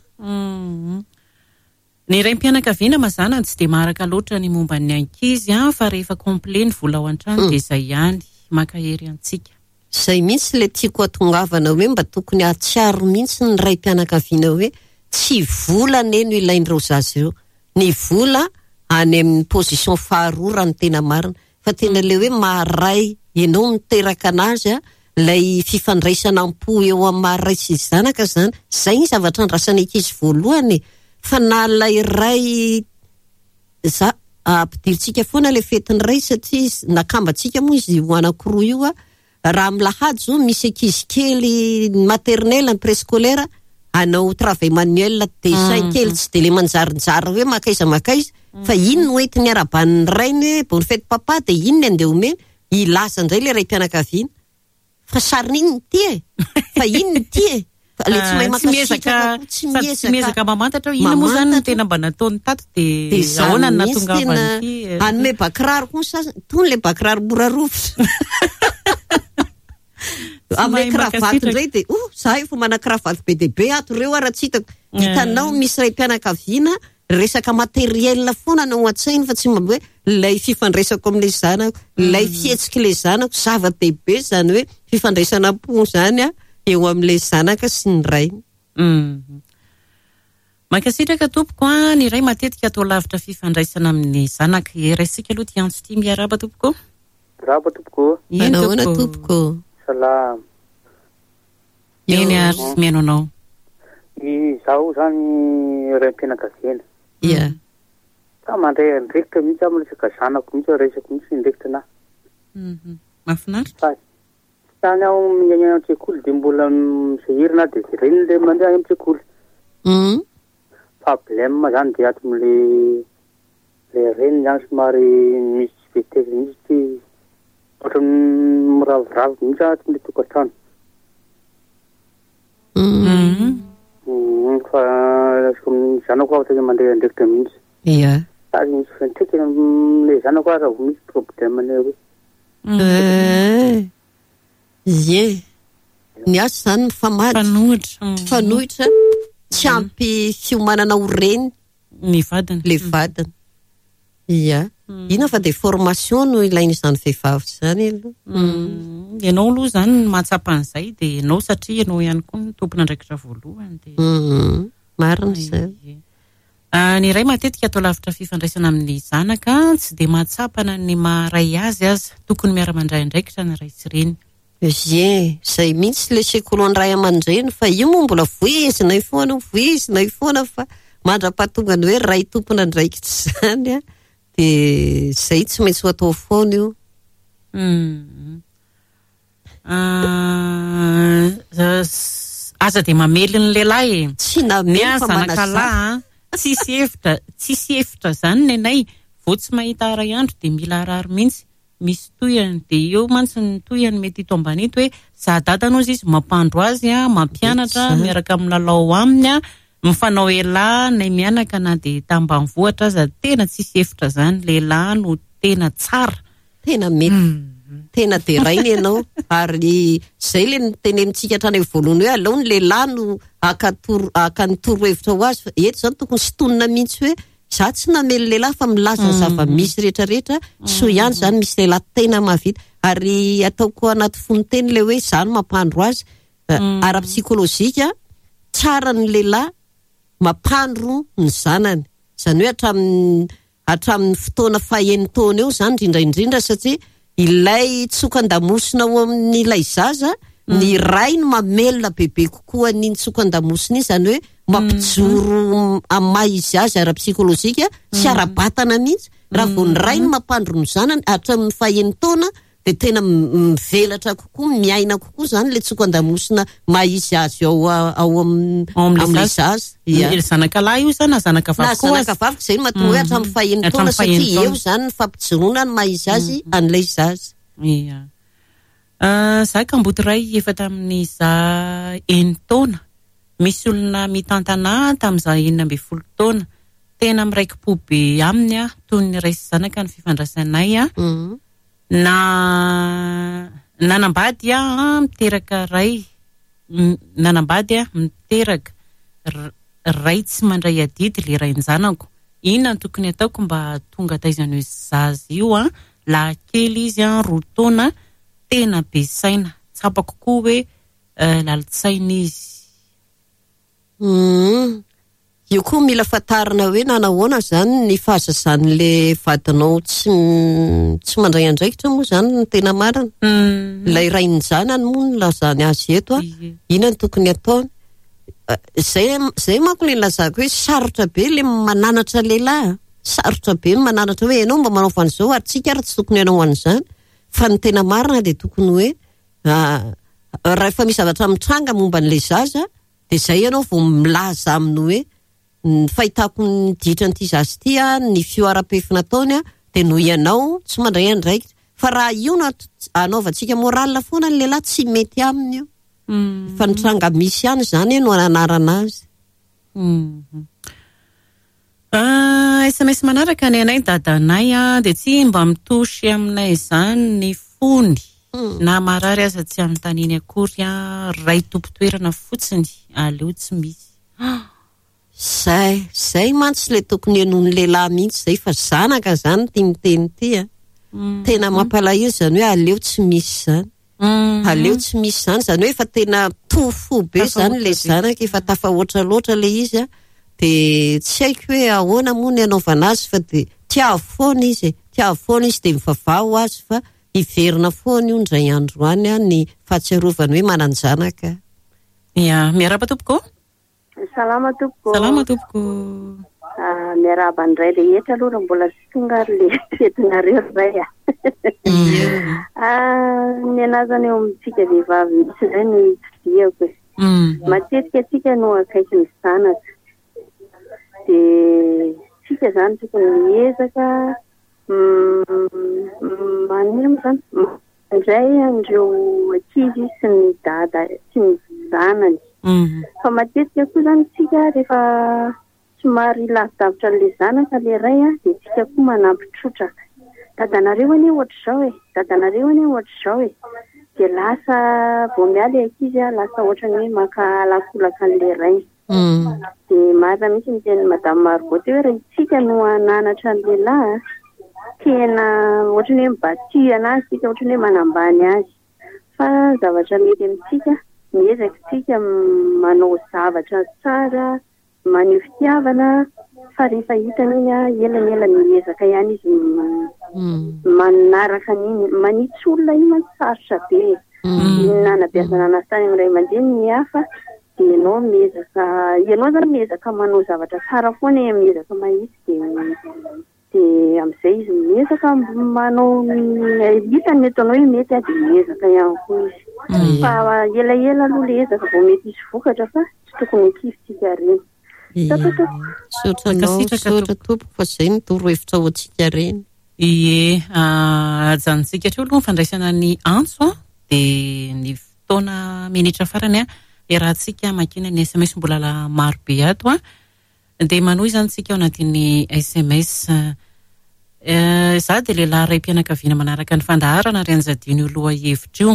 Ny raim-pianakaviana mazàna tsy dia maharaka loatra ny momba ny ankizy an, fa rehefa complet ny vola ao an-trano dia izay ihany. Mankahery antsika. Izay mihitsy ilay tiako hatongavana hoe mba tokony hahatsiaro mihitsy ny raim-pianakaviana hoe tsy vola anie no ilain'ireo zaza ireo. Ny vola any amin'ny position faharoa raha ny tena marina. Fa tena ilay hoe maha-ray ianao niteraka anazy an, ilay fifandraisana am-po eo amin'ny maha-ray sy zanaka izany, izay ny zavatra andrasan'ny ankizy voalohany e! Fa na ilay ray, za, ampidirintsika foana ilay fetin'ny ray satria nakambantsika moa izy io anankiroa io an, Raha amin'ny lahady izao misy ankizy kely ny maternelle, ny préscolaire hanao travail manuel, dessin kely tsy dia le manjarinjary hoe mankaiza mankaiza fa iny no entiny arahaban'ny rainy hoe bonne fête papa dia iny no andeha omeny, hilaza indray ilay raim-pianakaviana fa sarin'inona ity e! Fa inona ity e! Fa le tsy mahay Tsy miezaka mankasitraka koa tsy sady tsy miezaka miezaka mamantatra hoe inona moa izany no mamantatra. tena mba nataony tato Dia dia izany ahoana no mihitsy tena nahatongavan'ity eh. hanome bakiraro koa ny sasany, itony ilay bakiraro mora rovitra. Tsy Hanome mahay kravaty mankasitraka. indray dia oh za efa manana kravaty be dia be ato ireo ara tsy hitako. Hitanao misy raim-pianakaviana Resaka matériel foana no ao an-tsainy fa tsy mba hoe ilay fifandraisako amin'ilay zanako, ilay fihetsik'ilay zanako, zava-dehibe izany hoe fifandraisana am-po izany eo amin'ilay zanaka sy ny rainy. Mankasitraka tompoko a, ny ray matetika atao lavitra fifandraisana amin'ny zanaka. Raisika aloha ity antso ity, miarahaba tompoko. Miarahaba tompoko. Eny Manahoana tompoko. Salama. Eny ary, mihaino anao. Izaho izany raim-pianakaviana. Ia. Fa mandray andraikitra mihitsy aho miresaka zanako mihitsy, raisiko mihitsy ny andraikitra anahy. Mahafinaritra. Fa tsy tany aho miaina any an-tsekoly dia mbola misahirana aho dia jereny ilay mandeha any an-tsekoly. Problème izany dia ato amin'ilay ilay reniny izany somary misy tsy vitesse mihitsy ity. Ohatran'ny miraviravy mihitsy ato amin'ilay tokantrano. Fa ny zanako aho tena mandray andraikitra mihitsy. Ia. Ary misy fiantraikany amin'ilay zanako aho raha vao misy problème ny hoe. Ie. Ny azy izany mifamadika. Mifanohitra. Mifanohitra. Tsy ampy fiomanana ho reny. Ny vadiny. Ilay vadiny. Ia. Inona fa dia formation no ilain'izany vehivavy izany aloha. Ianao aloha izany no mahatsapa an'izay dia ianao satria ianao ihany koa no tompon'andraikitra voalohany dia. Marina izany. Ny ray matetika atao lavitra fifandraisana amin'ny zanaka, tsy dia mahatsapa na ny maha ray azy aza. Tokony miara-mandray andraikitra ny ray sy reny. Ie, izay mihitsy ilay sekoly ho an'ny ray aman-dreny fa io moa mbola voizinay foana, voizinay foana fa mandra-pahatonga ny hoe ray tompon'andraikitra izany an, dia izay tsy maintsy ho atao foana io. Aza dia mamely ny lehilahy e. Tsy namely fa zanaka lahy an, tsisy hevitra, tsisy hevitra izany nenay, vao tsy mahita iray andro dia mila harary mihitsy. Misy tohiny dia eo mantsy ny tohiny mety hito ambany ito hoe za dadany ozy izy mampandro azy a, mampianatra, miaraka milalao aminy a, mifanao elah nay mianaka na dia tambanivohitra aza tena tsisy hevitra zany, lehilahy no tena tsara. Tena mety, tena deraina ianao ary zay le notenenintsika hatrany amin'ny voalohany hoe aleo ny lehilahy no haka toro haka ny torohevitra ho azy fa eto zany tokony sintonina mihitsy hoe Za tsy namely lehilahy fa milaza ny zava-misy rehetra rehetra, soa ihany zany misy lehilahy tena mahavita ary ataoko anaty fonon-teny ilay hoe za no mampandro azy, ara-psikolojika tsara ny lehilahy mampandro ny zanany, izany hoe hatramin'ny hatramin'ny fotoana faha-enin-taona eo izany indrindra indrindra satria Ilay tsokan-damosina ao amin'ilay zaza, ny ray no mamelona bebe kokoa an'iny tsokan-damosina iny, izany hoe mampijoro amin'ny maha izy azy ara-psikolojika sy ara-batana mihitsy. Raha vao ny ray no mampandro ny zanany hatramin'ny fahenin-taona dia tena mivelatra kokoa, miaina kokoa izany ilay tsokan-damosina maha izy azy ao ao amin'ilay zaza. Ia. Ny zanaka lahy io sa na zanaka vavy koa aza? Na zanaka vavy, izay no mahatonga hoe hatramin'ny fahenina taona satria eo izany ny fampijoroana ny maha izy azy an'ilay zaza. Ia. Za kamboty ray efa tamin'ny za enin-taona. Misy olona mitantana ahy tamin'ny za 16 taona. Tena miraiki-po be aminy aho, toy ny ray sy zanaka ny fifandraisanay. Na nanambady aho miteraka ray nanambady aho miteraka ray tsy mandray adidy le rain-janako. Inona no tokony ataoko mba hahatonga taizan'io zaza io an, lahy kely izy an, 2 taona, tena be saina. Tsapako koa hoe lalin-tsaina izy. Humm. Io koa mila fantarina hoe nanahoana izany ny fahazazan'le vadinao tsy tsy mandray andraikitra moa izany no tena marina. Ilay rain-janany moa no nilazany azy eto a. Inona no tokony ataony? Izay izay manko ilay nilazako hoe sarotra be ilay mananatra lehilahy a. Sarotra be ny mananatra hoe ianao mba manaova an'izao ary tsika ary tsy tokony hanao an'izany. Fa ny tena marina dia tokony hoe rehefa misy zavatra mitranga momba an'ilay zaza Dia izay ianao vao milaza aminy hoe ny fahitako ny ditran'ity zaza ity an, ny fihoaram-pefy nataony an, dia noho ianao tsy mandray andraikitra. Fa raha io no anaovantsika morale foana ny lehilahy, tsy mety aminy io. Fa ny tranga misy ihany izany no ananarana azy. SMS manaraka ny anay dadanay dia tsy mba mitouche aminay izany ny fony na marary aza tsy anontaniany akory ray tompon-toerana fotsiny aleo tsy misy. Zay, zay mantsy le tokony henoin'ny lehilahy mihitsy zay fa zanaka zany ity miteny ity a. Tena mampalahelo zany hoe aleo tsy misy zany. Aleo tsy misy zany, zany hoe efa tena to fo be zany le zanaka, efa tafahoatra loatra le izy a. Dia tsy haiko hoe ahoana moa ny hanaovana azy fa dia tiavo foana izy e, tiavo foana izy dia mivavaha ho azy fa hiverina foana io indray andro any ny fahatsiarovany hoe manan-janaka. Ya, miarahaba tompoko. Salama tompoko. Salama tompoko. Ah, miarahaba ny ray rehetra aloha raha mbola tsy tonga ary le fetinareo ry ray a. Ah, ny anazana eo amintsika vehivavy mihitsy indray no itodihako e. Matetika antsika no akaiky ny zanaka. Dia tsika izany tokony miezaka Maninona moa izany? Mandray an'ireo ankizy sy ny dada sy ny zanany. Fa matetika koa izany isika rehefa somary lavidavitra an'ilay zanaka ilay ray dia isika koa manampy trotraka. Dadanareo anie ohatr'izao e, dadanareo anie ohatr'izao e. Dia lasa vao miala ilay ankizy lasa ohatran'ny hoe mankahala-kolaka an'ilay rainy. Dia marina mihitsy ny tenin'i Madame Margot teo hoe raha isika no hananatra ny lehilahy, tena ohatran'ny hoe mi-battu anazy isika, ohatran'ny hoe manambany azy. Fa zavatra mety amintsika, miezaka isika manao zavatra tsara, maneho fitiavana, fa rehefa hitany iny, ela ny ela miezaka ihany izy manaraka an'iny. Manitsy olona iny mantsy sarotra be e. Ny nanabeazana anazy tany amin'ny ray aman-dreny ny hafa Dia ianao miezaka, ianao izany miezaka manao zavatra tsara foana e, miezaka mahitsy dia dia amin'izay izy miezaka manao ny hitany ny ataonao hoe mety dia miezaka ihany koa izy. Fa elaela aloha ilay ezaka vao mety hisy vokatra fa tsy tokony ho kivy tsika reny. Misaotra tompoko. Misaotra anao, misaotra tompoko fa izay no torohevitra ho antsika reny. Ie, ajanontsika hatreo aloha ny fandraisana ny antso an, dia ny fotoana minitra farany iarahantsika mankina ny sms mbola maro be ato an. Dia manohy izany tsika ao anatin'ny sms. Izaho dia lehilahy raim-pianakaviana manaraka ny fandaharana ary anjadiano io lohahevitra io.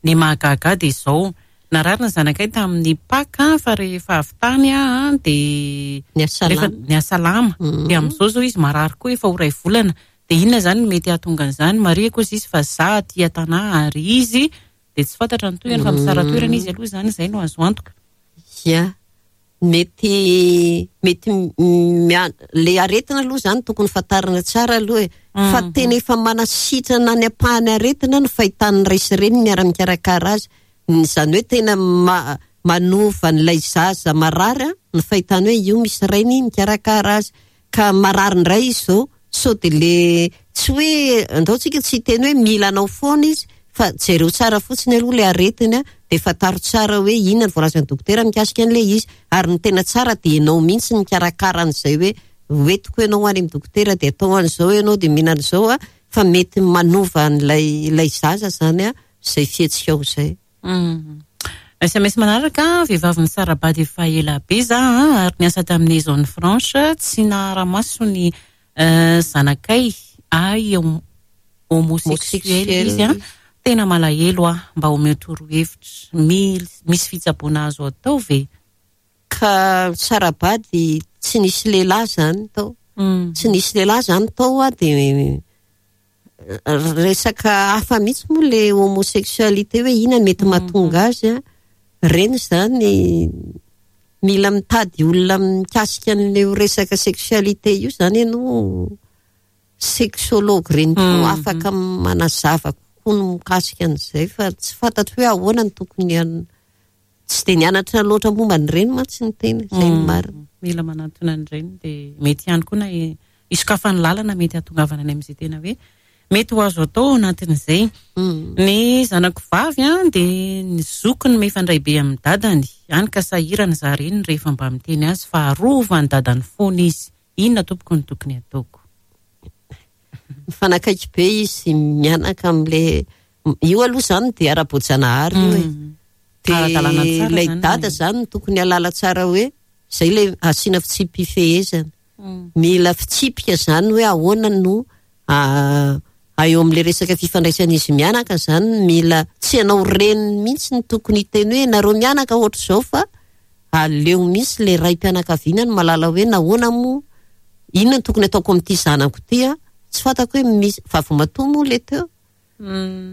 Ny mahagaga ahy dia izao, narary ny zanakay tamin'ny Paka fa rehefa avy tany aho dia nihasalama. Dia amin'izao izao izy marary koa efa ho iray volana. Dia inona izany no mety hahatonga an'izany? Marihiko hozy izy fa za aty an-tanà ary izy dia tsy fantatra ny tohiny fa misara-toerana izy aloha izany, izay no azo antoka. Ia, mety mety le aretina aloha izany tokony fantarina tsara aloha e. Fa tena efa manasitrana ny ampahany aretina ny fahitan'ny ray sy reny miara-mikarakara azy. Izany hoe tena manova an'ilay zaza marary ny fahitany hoe io misy rainy mikarakara azy. Ka marary indray izy izao, sao dia le tsy hoe andao tsika tsy hiteny hoe mila anao foana izy fa jereo tsara fotsiny aloha le aretiny dia fantaro tsara hoe inona ny voalazan'ny dokotera mikasika an'ilay izy ary ny tena tsara dia ianao mihitsy mikarakara an'izay hoe hoentiko ianao any amin'ny dokotera dia atao an'izao ianao dia mihinana izao fa mety manova an'ilay ilay zaza izany izay fihetsikao izay. Sms manaraka, vehivavy nisara-bady efa ela be za ary niasa tamin'ny zone franche, tsy nahara-maso ny zanakay, ahy homosexuel izy, tena malahelo aho, mba omeo torohevitra, misy fitsaboana azo atao ve? Ka nisara-bady tsy nisy lehilahy zany tao, tsy nisy lehilahy zany tao dia Resaka hafa mihitsy moa le homosexualité hoe inona no mety mahatonga azy an, ireny izany mila mitady olona mikasika an'io resaka sexualité io izany ianao, sexologue ireny koa afaka manazava kokoa ny mikasika an'izay fa tsy fantatro hoe ahoana no tokony Tsy dia nianatra loatra momba an'ireny mantsy ny tena, izay no marina. Mila manantona an'ireny dia mety ihany koa na hisokafan'ny lalana mety hahatongavana any amin'izay tena hoe mety ho azo atao ao anatin'izay. Ny zanako vavy an dia ny zokiny mifandray be amin'ny dadany, hany ka sahirana izaho reniny rehefa mba miteny azy fa arovan'ny dadany foana izy. Inona tompoko no tokony hataoko? Mifanakaiky be izy mianaka amin'ilay Io aloha izany dia ara-boajanahary io e. Dia ilay dada izany no tokony halala tsara hoe izay ilay asiana fitsipi-pifehezana. Mila fitsipika izany hoe ahoana no eo amin'ilay resaka fifandraisan'izy mianaka izany mila tsy ianao reniny mihitsy no tokony hiteny hoe nareo mianaka ohatr'izao fa. Aleo mihitsy ilay raim-pianakaviana no mahalala hoe nahoana moa, inona no tokony ataoko amin'ity zanako ity an, tsy fantako hoe misy, vavimatoa moa ilay teo,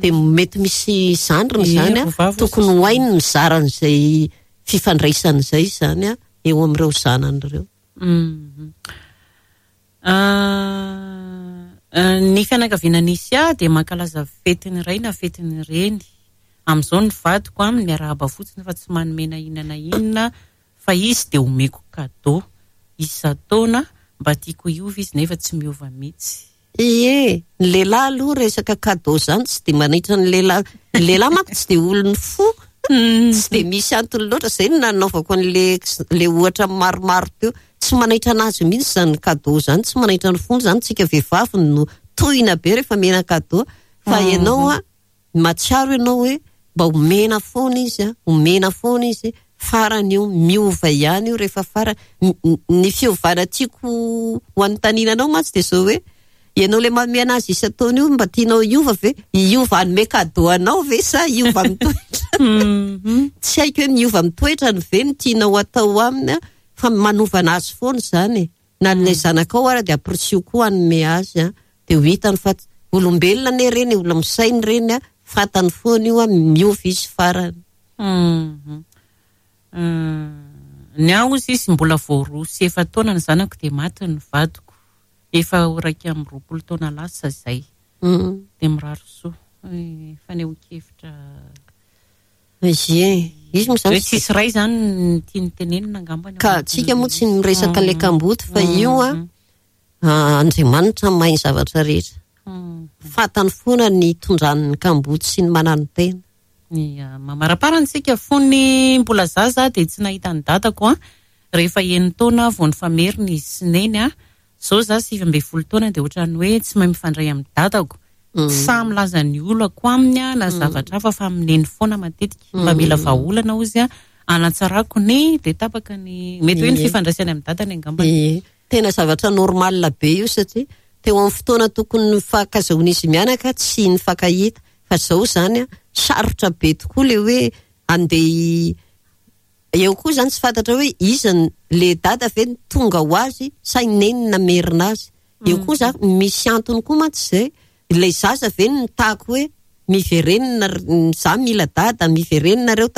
dia mety misy zandriny izany an, tokony ho hainy ny mizara an'izay fifandraisana izay izany an, eo amin'ireo zanany ireo. Ny fianakaviana nisy ahy dia mankalaza fetin'ny ray na fetin'ny reny. Amin'izao ny vadiko aminy miarahaba fotsiny fa tsy manome na inona na inona fa izy dia omeko cadeau isan-taona mba tiako hiova izy nefa tsy miova mihitsy. Ie, ny lehilahy aloha resaka cadeau zany tsy dia manaitra ny lehilahy, ny lehilahy manko tsy dia olon'ny fo, tsy dia misy antony loatra, zay no nanaovako an'le le ohatra maromaro teo, tsy manaitra anazy mihitsy zany cadeau zany, tsy manaitra ny fony zany, tsika vehivavy no tohina be rehefa omena cadeau, fa ianao an, Mahatsiaro ianao hoe mba omena foana izy an, omena foana izy, farany io miova ihany io rehefa farany. Ny fiovana tiako ho anontaniana anao mantsy dia izao hoe, ianao ilay manome anazy isan-taona io mba tianao hiova ve? Hiova hanome cadeau anao ve sa hiova amin'ny toetrany? Tsy haiko hoe miova amin'ny toetrany ve no tianao hatao aminy an, fa manova anazy foana izany e. Na ilay zanakao ara dia ampirisiho koa hanome azy an, dia ho hitany fa olombelona anie ireny e, olona misaina ireny an, fantany foana io an, miova izy farany. Ny ahy hozy izy mbola vao roa sy efa-taona ny zanako dia maty ny vadiko, efa ho 21 taona lasa izay. Dia mirary soa. Fanehoan-kevitra. Ie, izy moa izany. Hoe tsisy ray izany ny tiany tenenina angambany. Ka tsika moa tsy miresaka ilay kamboty fa io an, Andriamanitra mahay ny zavatra rehetra. Fantany foana ny hitondrany ny kamboty sy ny mananotena. Ia, mamaraparana isika fony mbola zaza aho dia tsy nahita ny dadako an, rehefa enin-taona aho vao nifamerina izy sy neny an, Zao za 19 taona dia ohatran'ny hoe tsy mahay mifandray amin'ny dadako. Tsy sahy milaza ny olako aminy aho na zavatra hafa fa amin'i neny foana matetika. Mba mila vahaolana hozy aho hanatsarako ny dia tapaka ny mety hoe ny fifandraisany amin'ny dadany angambany. Ie. Tena zavatra normal be io satria teo amin'ny fotoana tokony nifankazahoan'izy mianaka tsy nifankahita fa zao zany sarotra be tokoa le hoe andeha Eo koa izany tsy fantatra hoe iza no, le dada ve no tonga ho azy sa i neny namerina azy. Eo koa za, misy antony koa mantsy izay, ilay zaza ve no nitaky hoe miverenina za mila dada, miverena nareo,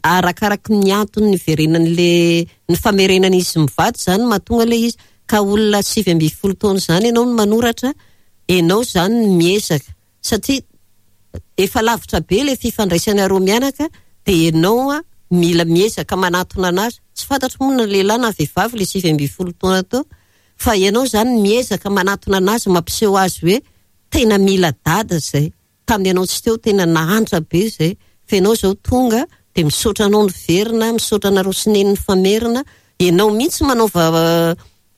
arakaraky ny antony niverenan'le, ny famerenan'izy mivady izany no mahatonga ilay izy. Ka olona 19 taona izany ianao no manoratra, ianao izany no miezaka. Satria efa lavitra be ilay fifandraisanareo mianaka dia ianao mila miezaka manatona anazy. Tsy fantatro moa na lehilahy na vehivavy ilay 19 taona teo fa ianao izany miezaka manatona anazy mampiseho azy hoe tena mila dada izay. Tamin'ny ianao tsy teo tena nahantra be izay fa ianao izao tonga dia misaotra anao niverina, misaotra anareo sy neny nifamerina. Ianao mihitsy manaova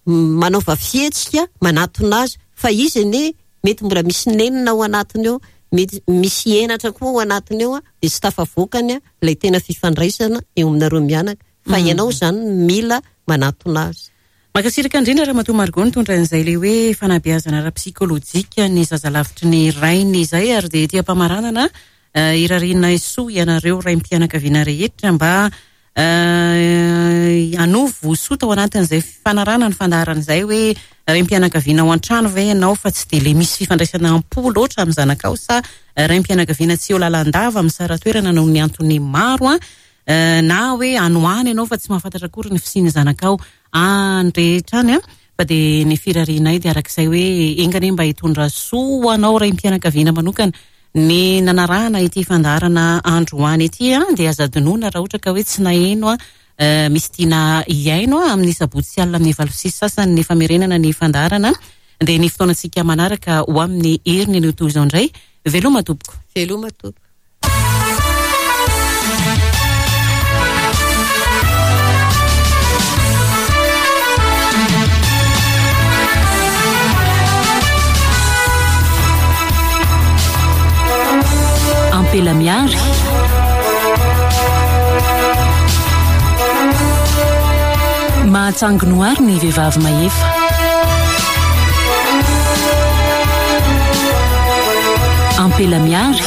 manaova fihetsika manatona azy fa izy anie mety mbola misy nenina ao anatiny ao, mety misy henatra koa ao anatiny ao dia tsy tafavoakany ilay tena fifandraisana eo aminareo mianaka fa ianao izany no mila manatona azy. Mankasitraka indrindra Ramatoa Margot nitondra an'izay ilay hoe fanabeazana ara-psikolojika ny zaza lavitry ny rainy izay ary dia ety am-pamaranana irarianay soa ianareo raim-pianakaviana rehetra mba Hanovo soa tao anatin'izay fanarahana ny fandaharana izay hoe raim-pianakaviana ao an-trano ve ianao fa tsy dia ilay misy fifandraisana am-po loatra amin'ny zanakao sa raim-pianakaviana tsy eo lalandava misara-toerana noho ny antony maro na hoe any ho any ianao fa tsy mahafantatra akory ny fisian'ny zanakao any rehetra any fa dia ny firarianay dia arak'izay hoe enga anie mba hitondra soa ho anao raim-pianakaviana manokana ny nanarahana ity fandaharana androany ity dia aza adinoina raha ohatra ka hoe tsy naheno misy tiana hihaino amin'ny sabotsy alina amin'ny 8:30 ny famerenana ny fandaharana dia ny fotoanantsika manaraka ho amin'ny heriny anio toy izao indray. Veloma tompoko. Veloma tompoko. Ampela Miary. Mahatsangy noary ny vehivavy mahefa. Ampela Miary.